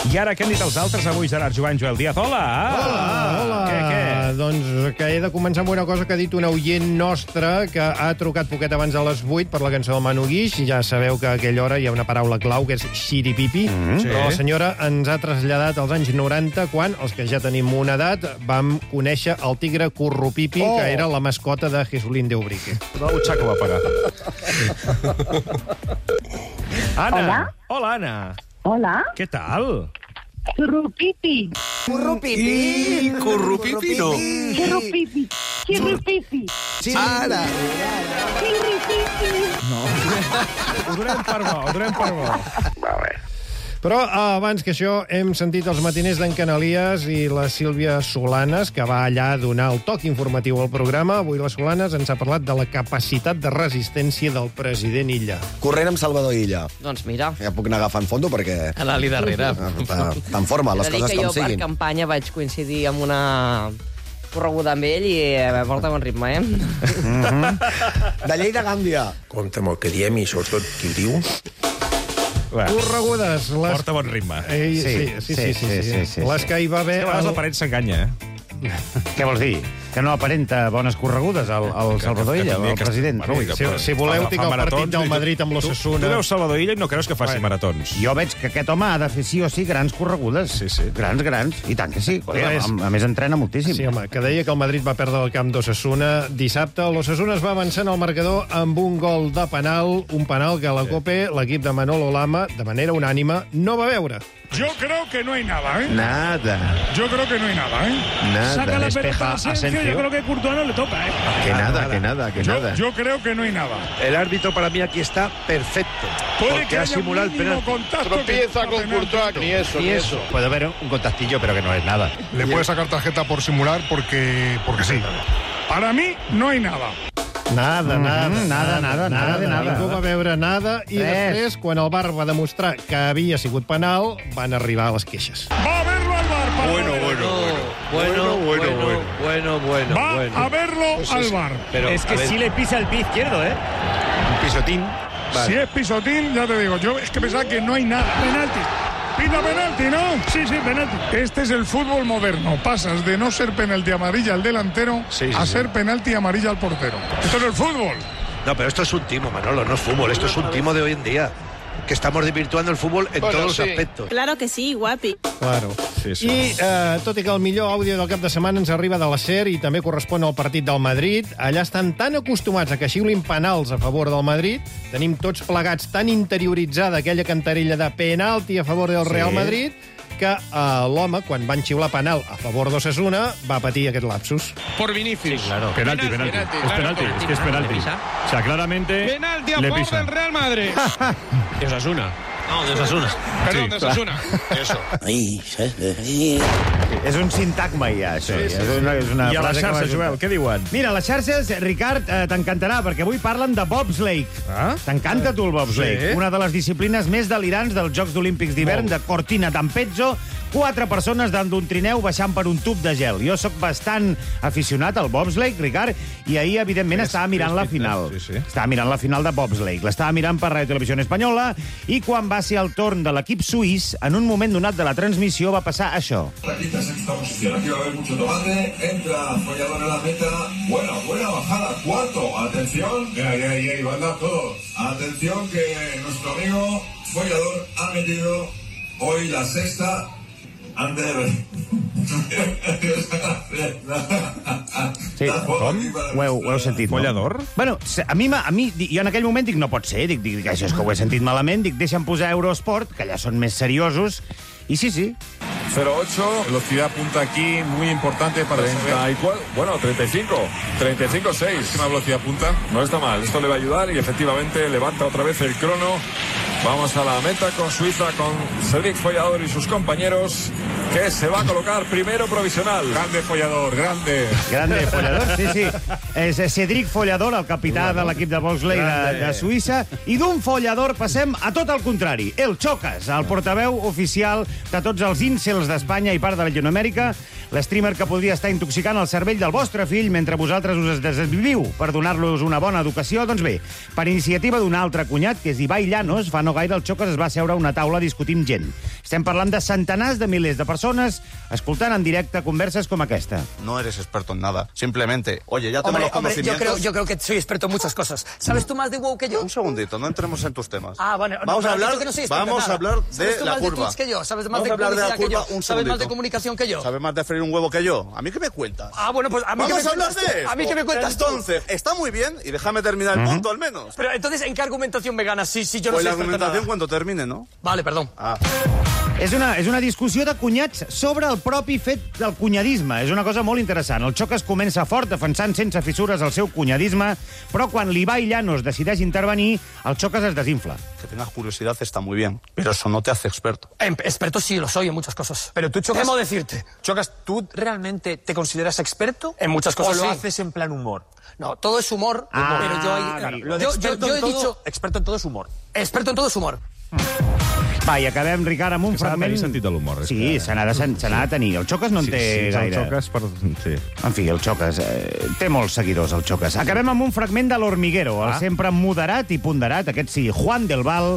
Speaker 2: I ara, què han dit els altres avui, Gerard Jovany, Joel Díaz? Hola!
Speaker 5: Hola! Hola!
Speaker 2: Què, què?
Speaker 5: Doncs que he de començar amb una cosa que ha dit una oient nostra que ha trucat poquet abans de les vuit per la cançó del Manu Guix. Ja sabeu que a aquella hora hi ha una paraula clau, que és xiripipi. Mm, sí. Però la senyora ens ha traslladat als anys noranta, quan, els que ja tenim una edat, vam conèixer el tigre Currupipi, oh. que era la mascota de Jesulín de Ubrique.
Speaker 2: La butxaca va pagar. Anna!
Speaker 8: Hola?
Speaker 2: Hola, Anna!
Speaker 8: Hola.
Speaker 2: Què tal?
Speaker 8: Currupipi.
Speaker 17: Currupipi. Currupipi, no.
Speaker 8: Currupipi. Currupipi.
Speaker 17: Ara.
Speaker 8: Currupipi.
Speaker 2: No. Ho donem per bo, ho donem per bo.
Speaker 5: Va bé. Però abans que això hem sentit els matiners d'en Canalies i la Sílvia Solanes, que va allà a donar el toc informatiu al programa. Avui la Solanes ens ha parlat de la capacitat de resistència del president Illa.
Speaker 10: Corrent amb Salvador Illa.
Speaker 11: Doncs mira.
Speaker 10: Ja puc anar agafant fondo perquè...
Speaker 11: Anar-li darrere.
Speaker 10: Està en forma, les coses com siguin.
Speaker 11: Jo per campanya vaig coincidir amb una correguda amb ell i porta bon ritme, eh?
Speaker 10: Mm-hmm. De Lleida a Gàmbia.
Speaker 17: Compte amb el que diem i sobretot qui ho diu.
Speaker 5: Corregudes. Les...
Speaker 2: Porta bon ritme.
Speaker 5: Ei, sí, sí, sí, sí, sí, sí, sí, sí. Les que hi va haver...
Speaker 2: És que a vegades el... la paret s'enganya, eh?
Speaker 23: Què vols dir? Que no aparenta bones corregudes al, al Salvador Illa, el president?
Speaker 5: Bueno, si, si voleu, tinc el partit del Madrid amb l'Osasuna.
Speaker 2: Tu, tu veus Salvador Illa i no creus que faci maratons.
Speaker 23: Jo veig que aquest home ha de fer sí o sí grans corregudes.
Speaker 2: Sí, sí.
Speaker 23: Grans, grans. I tant que sí. A, a més, entrena moltíssim.
Speaker 5: Sí, home, que deia que el Madrid va perdre el camp d'Osasuna dissabte. L'Osasuna es va avançar en el marcador amb un gol de penal, un penal que a la Cope l'equip de Manolo Lama, de manera unànima, no va veure.
Speaker 24: Yo creo que no hay nada, ¿eh?
Speaker 23: Nada.
Speaker 24: Yo creo que no hay nada, ¿eh?
Speaker 23: Nada.
Speaker 24: Saca la
Speaker 23: Despeja
Speaker 24: pelota a Asensio, yo creo que Courtois no le toca, ¿eh?
Speaker 23: Que nada, que nada, que
Speaker 24: yo,
Speaker 23: nada.
Speaker 24: Yo creo que no hay nada.
Speaker 17: El árbitro para mí aquí está perfecto.
Speaker 24: Puede que haya un mínimo contacto.
Speaker 17: Tropieza con Courtois, ni eso, ni eso.
Speaker 23: Puede haber un contactillo, pero que no es nada.
Speaker 24: Le puede sacar tarjeta por simular porque, porque sí. Para mí no hay nada.
Speaker 5: Nada, nada,
Speaker 23: mm, nada, nada, nada, de nada.
Speaker 5: Ningú va veure nada i Res. després, quan el V A R va demostrar que havia sigut penal, van arribar a les queixes.
Speaker 24: Va a verlo al V A R. Para
Speaker 17: bueno, bueno, bueno, bueno, bueno, bueno, bueno, bueno.
Speaker 24: Va
Speaker 17: bueno.
Speaker 24: a verlo pues al
Speaker 17: es,
Speaker 24: V A R.
Speaker 17: Pero,
Speaker 23: es que sí le pisa el pie izquierdo, ¿eh? Un pisotín.
Speaker 24: Vale. Si es pisotín, ya te digo, yo es que pensaba que no hay nada. Penalti. Pita penalti, ¿no? Sí, sí, penalti. Este es el fútbol moderno. Pasas de no ser penalti amarilla al delantero sí, sí, a sí. ser penalti amarilla al portero. Esto es el fútbol.
Speaker 17: No, pero esto es un timo, Manolo, no es fútbol. Esto es un timo de hoy en día. que estamos desvirtuando el fútbol en
Speaker 5: Bueno,
Speaker 17: todos
Speaker 5: sí.
Speaker 17: los aspectos.
Speaker 9: Claro que sí, guapi.
Speaker 5: Claro.
Speaker 2: Sí, sí.
Speaker 5: I, eh, tot i que el millor àudio del cap de setmana ens arriba de la SER i també correspon al partit del Madrid, allà estan tan acostumats a que xiulin penals a favor del Madrid, tenim tots plegats tan interioritzada aquella cantarella de penalti a favor del
Speaker 23: Sí.
Speaker 5: Real Madrid, que eh, l'home, quan van xiular penal a favor d'Osasuna, va patir aquest lapsus.
Speaker 12: Por Vinicius.
Speaker 23: Sí, claro.
Speaker 12: Penalti, penalti.
Speaker 23: penalti,
Speaker 12: Es
Speaker 23: claro,
Speaker 12: penalti.
Speaker 23: penalti, es que es penalti. O sea, claramente
Speaker 12: Penalti a
Speaker 23: le
Speaker 12: favor
Speaker 23: pisa.
Speaker 12: del Real Madrid. De Osasuna. No, de Osasuna. Perdón,
Speaker 23: Sí,
Speaker 12: de
Speaker 23: clar.
Speaker 12: Osasuna. Eso.
Speaker 23: Ahí, és un sintagma, ja, això.
Speaker 2: Sí, sí,
Speaker 23: és una, és una
Speaker 2: I a les
Speaker 23: frase que
Speaker 2: xarxes,
Speaker 23: va junta.
Speaker 2: Joel, què diuen?
Speaker 23: Mira, les xarxes, Ricard, eh, t'encantarà, perquè avui parlen de bobsleigh.
Speaker 2: Ah?
Speaker 23: T'encanta, tu, el bobsleigh?
Speaker 2: Sí.
Speaker 23: Una de les disciplines més delirants dels Jocs Olímpics d'hivern de Cortina d'Ampezzo. Quatre persones dalt d'un trineu baixant per un tub de gel. Jo sóc bastant aficionat al bobsleigh, Ricard, i ahir, evidentment,
Speaker 2: És-
Speaker 23: estava mirant
Speaker 2: és
Speaker 23: la
Speaker 2: fitness,
Speaker 23: final.
Speaker 2: sí, sí.
Speaker 23: Estava mirant la final de bobsleigh. L'estava mirant per Radio Televisió Espanyola, i quan va ser el torn de l'equip suís, en un moment donat de la transmissió va passar això.
Speaker 13: La quinta sexta posición. Aquí va a haber mucho tomate. Entra Follador en la meta. Buena, buena bajada. Cuarto. Atención. Ahí, ahí, ahí, ahí. Van todos. Atención que nuestro amigo Follador ha metido hoy la sexta. Under.
Speaker 23: Sí, com? Ho heu, ho heu sentit, no?
Speaker 2: Follador?
Speaker 23: Bueno, se- a mi, m'ha- a mi, di- jo en aquell moment dic, no pot ser, dic, dic, això és que ho he sentit malament, dic, deixa'm posar Eurosport, que allà són més seriosos, i sí, sí.
Speaker 14: cero ocho, velocidad punta aquí muy importante para treinta y cuatro, bueno, treinta y cinco, treinta y cinco seis, una velocidad punta, no está mal, esto le va a ayudar y efectivamente levanta otra vez el crono. Vamos a la meta con Suiza, con Cedric Follador y sus compañeros, que se va a colocar primero provisional. Grande Follador, grande.
Speaker 23: Grande Follador, sí, sí. És Cedric Follador, el capità de l'equip de bobsleigh de, de Suïssa, i d'un Follador passem a tot el contrari. El Chocas, el portaveu oficial de tots els incels d'Espanya i part de Llatinoamèrica, l'streamer que podria estar intoxicant el cervell del vostre fill mentre vosaltres us desviviu per donar-los una bona educació. Doncs bé, per iniciativa d'un altre cunyat, que és Ibai Llanos, fa no gaire el Chocas es va seure a una taula a discutir amb gent. Estem parlant de centenars de milers de persones escoltant en directe converses com aquesta.
Speaker 16: No eres experto en nada. Simplemente, oye, ya tengo
Speaker 19: Hombre,
Speaker 16: los
Speaker 19: hombre, yo
Speaker 16: conocimientos.
Speaker 19: creo, yo creo que soy experto en muchas cosas. ¿Sabes tú más de WoW que yo?
Speaker 16: Un segundito, no entremos en tus temas.
Speaker 19: Ah, bueno. no,
Speaker 16: Vamos
Speaker 19: pero
Speaker 16: a
Speaker 19: has dicho
Speaker 16: hablar,
Speaker 19: que no soy experto en
Speaker 16: vamos a
Speaker 19: nada.
Speaker 16: hablar
Speaker 19: ¿Sabes
Speaker 16: de
Speaker 19: tú
Speaker 16: la
Speaker 19: más
Speaker 16: curva.
Speaker 19: de Twitch que yo? ¿Sabes más
Speaker 16: Vamos
Speaker 19: de
Speaker 16: a hablar de la
Speaker 19: publicidad que
Speaker 16: curva
Speaker 19: yo?
Speaker 16: un
Speaker 19: ¿Sabes más de
Speaker 16: segundito.
Speaker 19: comunicación que yo?
Speaker 16: ¿Sabes más de freír un huevo que yo? ¿A mí qué me cuentas?
Speaker 19: Ah, bueno, pues a mí
Speaker 16: Vamos
Speaker 19: que me
Speaker 16: a hablar
Speaker 19: cuentas
Speaker 16: de
Speaker 19: tú.
Speaker 16: esto.
Speaker 19: A mí que me cuentas tú.
Speaker 16: Entonces, está muy bien, y déjame terminar el
Speaker 23: Ujú.
Speaker 16: punto al menos.
Speaker 19: Pero entonces, ¿en qué argumentación me ganas si, si yo no
Speaker 16: Pues
Speaker 19: soy
Speaker 16: la
Speaker 19: experto en
Speaker 16: argumentación
Speaker 19: nada?
Speaker 16: cuando termine, ¿no?
Speaker 19: Vale, perdón.
Speaker 16: Ah.
Speaker 23: És una, és una discussió de cunyats sobre el propi fet del cunyadisme. És una cosa molt interessant. El Chocas comença fort, defensant sense fissures el seu cunyadisme, però quan l'Ibai Llanos decideix intervenir, el Chocas es desinfla.
Speaker 16: Que tengas curiosidad está muy bien, pero eso no te hace experto.
Speaker 19: Em- Experto sí lo soy en muchas cosas. Pero tú, Chocas...
Speaker 27: Temo decirte, Chocas, ¿tú realmente te consideras experto?
Speaker 19: En muchas cosas
Speaker 27: ¿O lo
Speaker 19: sí.
Speaker 27: haces en plan humor?
Speaker 19: No, todo es humor,
Speaker 23: Ah,
Speaker 19: pero yo... ahí-
Speaker 27: Claro, lo de
Speaker 19: yo, yo,
Speaker 27: experto
Speaker 19: yo
Speaker 27: en
Speaker 19: he
Speaker 27: todo-
Speaker 19: dicho...
Speaker 27: Experto en todo es humor.
Speaker 19: Experto en todo es humor.
Speaker 23: Va, i acabem, Ricard, amb un
Speaker 2: Que s'ha de
Speaker 23: fragment...
Speaker 2: tenir sentit de l'humor, és
Speaker 23: Sí,
Speaker 2: que-
Speaker 23: se n'ha de, se n'ha de tenir. El Chocas no en
Speaker 2: Sí,
Speaker 23: té
Speaker 2: sí, el
Speaker 23: gaire.
Speaker 2: Chocas per... Sí.
Speaker 23: En fi, el Chocas eh, té molts seguidors, el Chocas. Acabem amb un fragment de l'Hormiguero, el
Speaker 2: Ah.
Speaker 23: sempre moderat i ponderat, aquest sí, Juan del Val,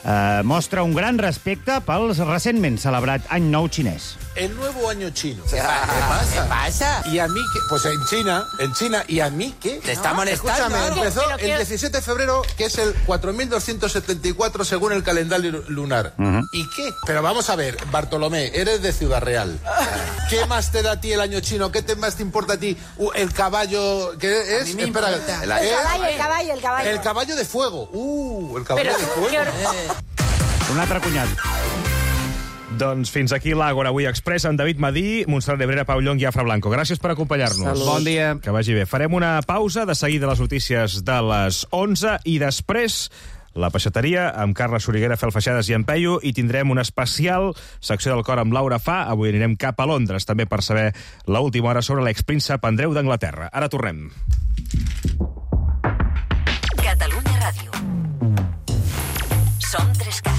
Speaker 23: eh, mostra un gran respecte pel recentment celebrat Any Nou xinès.
Speaker 28: El nuevo año chino.
Speaker 19: ¿Qué pasa? ¿Qué pasa?
Speaker 28: ¿Y a mí qué? Pues en China, en China, ¿y a mí qué?
Speaker 19: Te está molestando.
Speaker 28: Escúchame,
Speaker 19: ¿Pero
Speaker 28: empezó
Speaker 19: qué?
Speaker 28: el diecisiete de febrero, que es el cuatro mil doscientos setenta y cuatro según el calendario lunar.
Speaker 23: Ujú.
Speaker 28: ¿Y qué? Pero vamos a ver, Bartolomé, eres de Ciudad Real. ¿Qué más te da a ti el año chino? ¿Qué te más te importa a ti uh, el caballo? ¿Qué es?
Speaker 19: mí me
Speaker 28: Espera,
Speaker 19: importa.
Speaker 28: el,
Speaker 8: El caballo, el caballo, el caballo.
Speaker 28: el caballo de fuego. Uh, el caballo
Speaker 8: Pero,
Speaker 28: de fuego.
Speaker 8: ¿qué hor-
Speaker 23: Un altre cunyat.
Speaker 2: Doncs fins aquí l'Àgora avui Express amb David Madí, Montserrat Nebrera, Pau Llong i Afra Blanco. Gràcies per acompanyar-nos.
Speaker 4: Salut. Bon dia.
Speaker 2: Que vagi bé. Farem una pausa, de seguida les notícies de les onze i després la peixateria amb Carles Soriguera, Fel Feixades i en Peyu, i tindrem una especial secció del cor amb Laura Fa. Avui anirem cap a Londres també per saber l'última hora sobre l'expríncep Andreu d'Anglaterra. Ara tornem.
Speaker 29: Catalunya Ràdio. Som tres cat.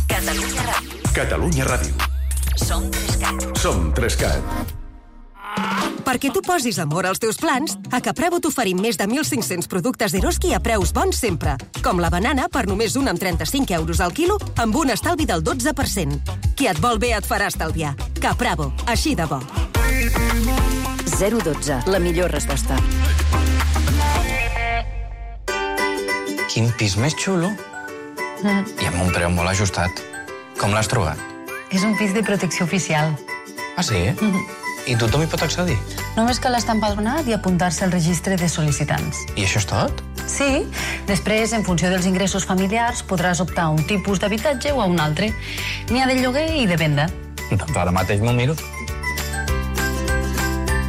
Speaker 29: Catalunya Ràdio.
Speaker 20: Catalunya Ràdio.
Speaker 29: Som tres cat.
Speaker 20: Som tres cat.
Speaker 30: Perquè tu posis amor als teus plans, a Capravo t'oferim més de mil cinc-cents productes d'Eroski a preus bons sempre. Com la banana, per només un amb trenta-cinc euros al quilo, amb un estalvi del dotze per cent. Qui et vol bé et farà estalviar. Capravo, així de bo.
Speaker 31: zero dotze, la millor resposta.
Speaker 1: Quin pis més xulo.
Speaker 3: Mm.
Speaker 1: I amb un preu molt ajustat. Com l'has trobat?
Speaker 3: És un pis de protecció oficial.
Speaker 1: Ah, sí? Mm-hmm. I tothom hi pot accedir?
Speaker 3: Només cal estar empadronat i apuntar-se al registre de sol·licitants.
Speaker 1: I això és tot?
Speaker 3: Sí. Després, en funció dels ingressos familiars, podràs optar a un tipus d'habitatge o a un altre. N'hi ha de lloguer i de venda.
Speaker 1: Doncs ara mateix m'ho miro.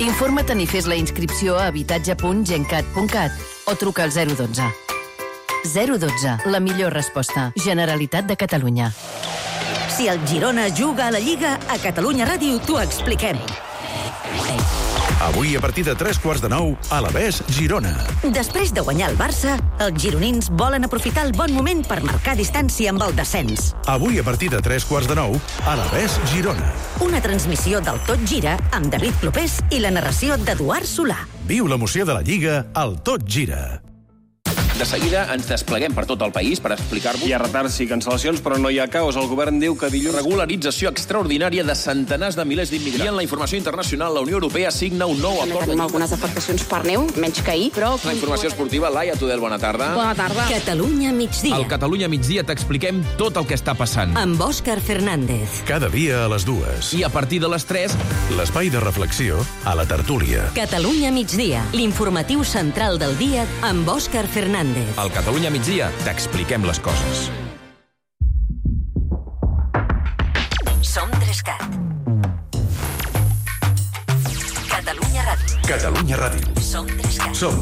Speaker 7: Informa't i fes la inscripció a habitatge punt gencat punt cat o truca al zero dotze. zero dotze, la millor resposta. Generalitat de Catalunya.
Speaker 9: Si el Girona juga a la Lliga, a Catalunya Ràdio t'ho expliquem.
Speaker 20: Avui, a partir de tres quarts de nou, Alavés Girona.
Speaker 9: Després de guanyar el Barça, els gironins volen aprofitar el bon moment per marcar distància amb el descens.
Speaker 20: Avui, a partir de tres quarts de nou, Alavés Girona.
Speaker 9: Una transmissió del Tot Gira amb David Clopés i la narració d'Eduard Solà.
Speaker 20: Viu l'emoció de la Lliga al Tot Gira.
Speaker 15: De seguida ens despleguem per tot el país per explicar-vos. Hi ha retards i cancel·lacions, però no hi ha caos. El govern diu que dilluns regularització extraordinària de centenars de milers d'immigrants. I en la informació internacional, la Unió Europea signa un nou acord.
Speaker 18: Tenim algunes afectacions per neu, menys que ahir, però...
Speaker 15: La informació esportiva, Laia Tudel, bona tarda.
Speaker 9: Bona tarda. Catalunya migdia.
Speaker 15: Al Catalunya migdia t'expliquem tot el que està passant.
Speaker 9: Amb Òscar Fernández.
Speaker 20: Cada dia a les dues.
Speaker 15: I a partir de les tres...
Speaker 20: L'espai de reflexió a la tertúlia.
Speaker 9: Catalunya migdia, l'informatiu central del dia amb Òscar Fernández.
Speaker 15: Al Catalunya migdia t'expliquem les coses.
Speaker 29: Som Trescat. Catalunya Ràdio.
Speaker 20: Catalunya Ràdio.
Speaker 29: Som Trescat.
Speaker 20: Som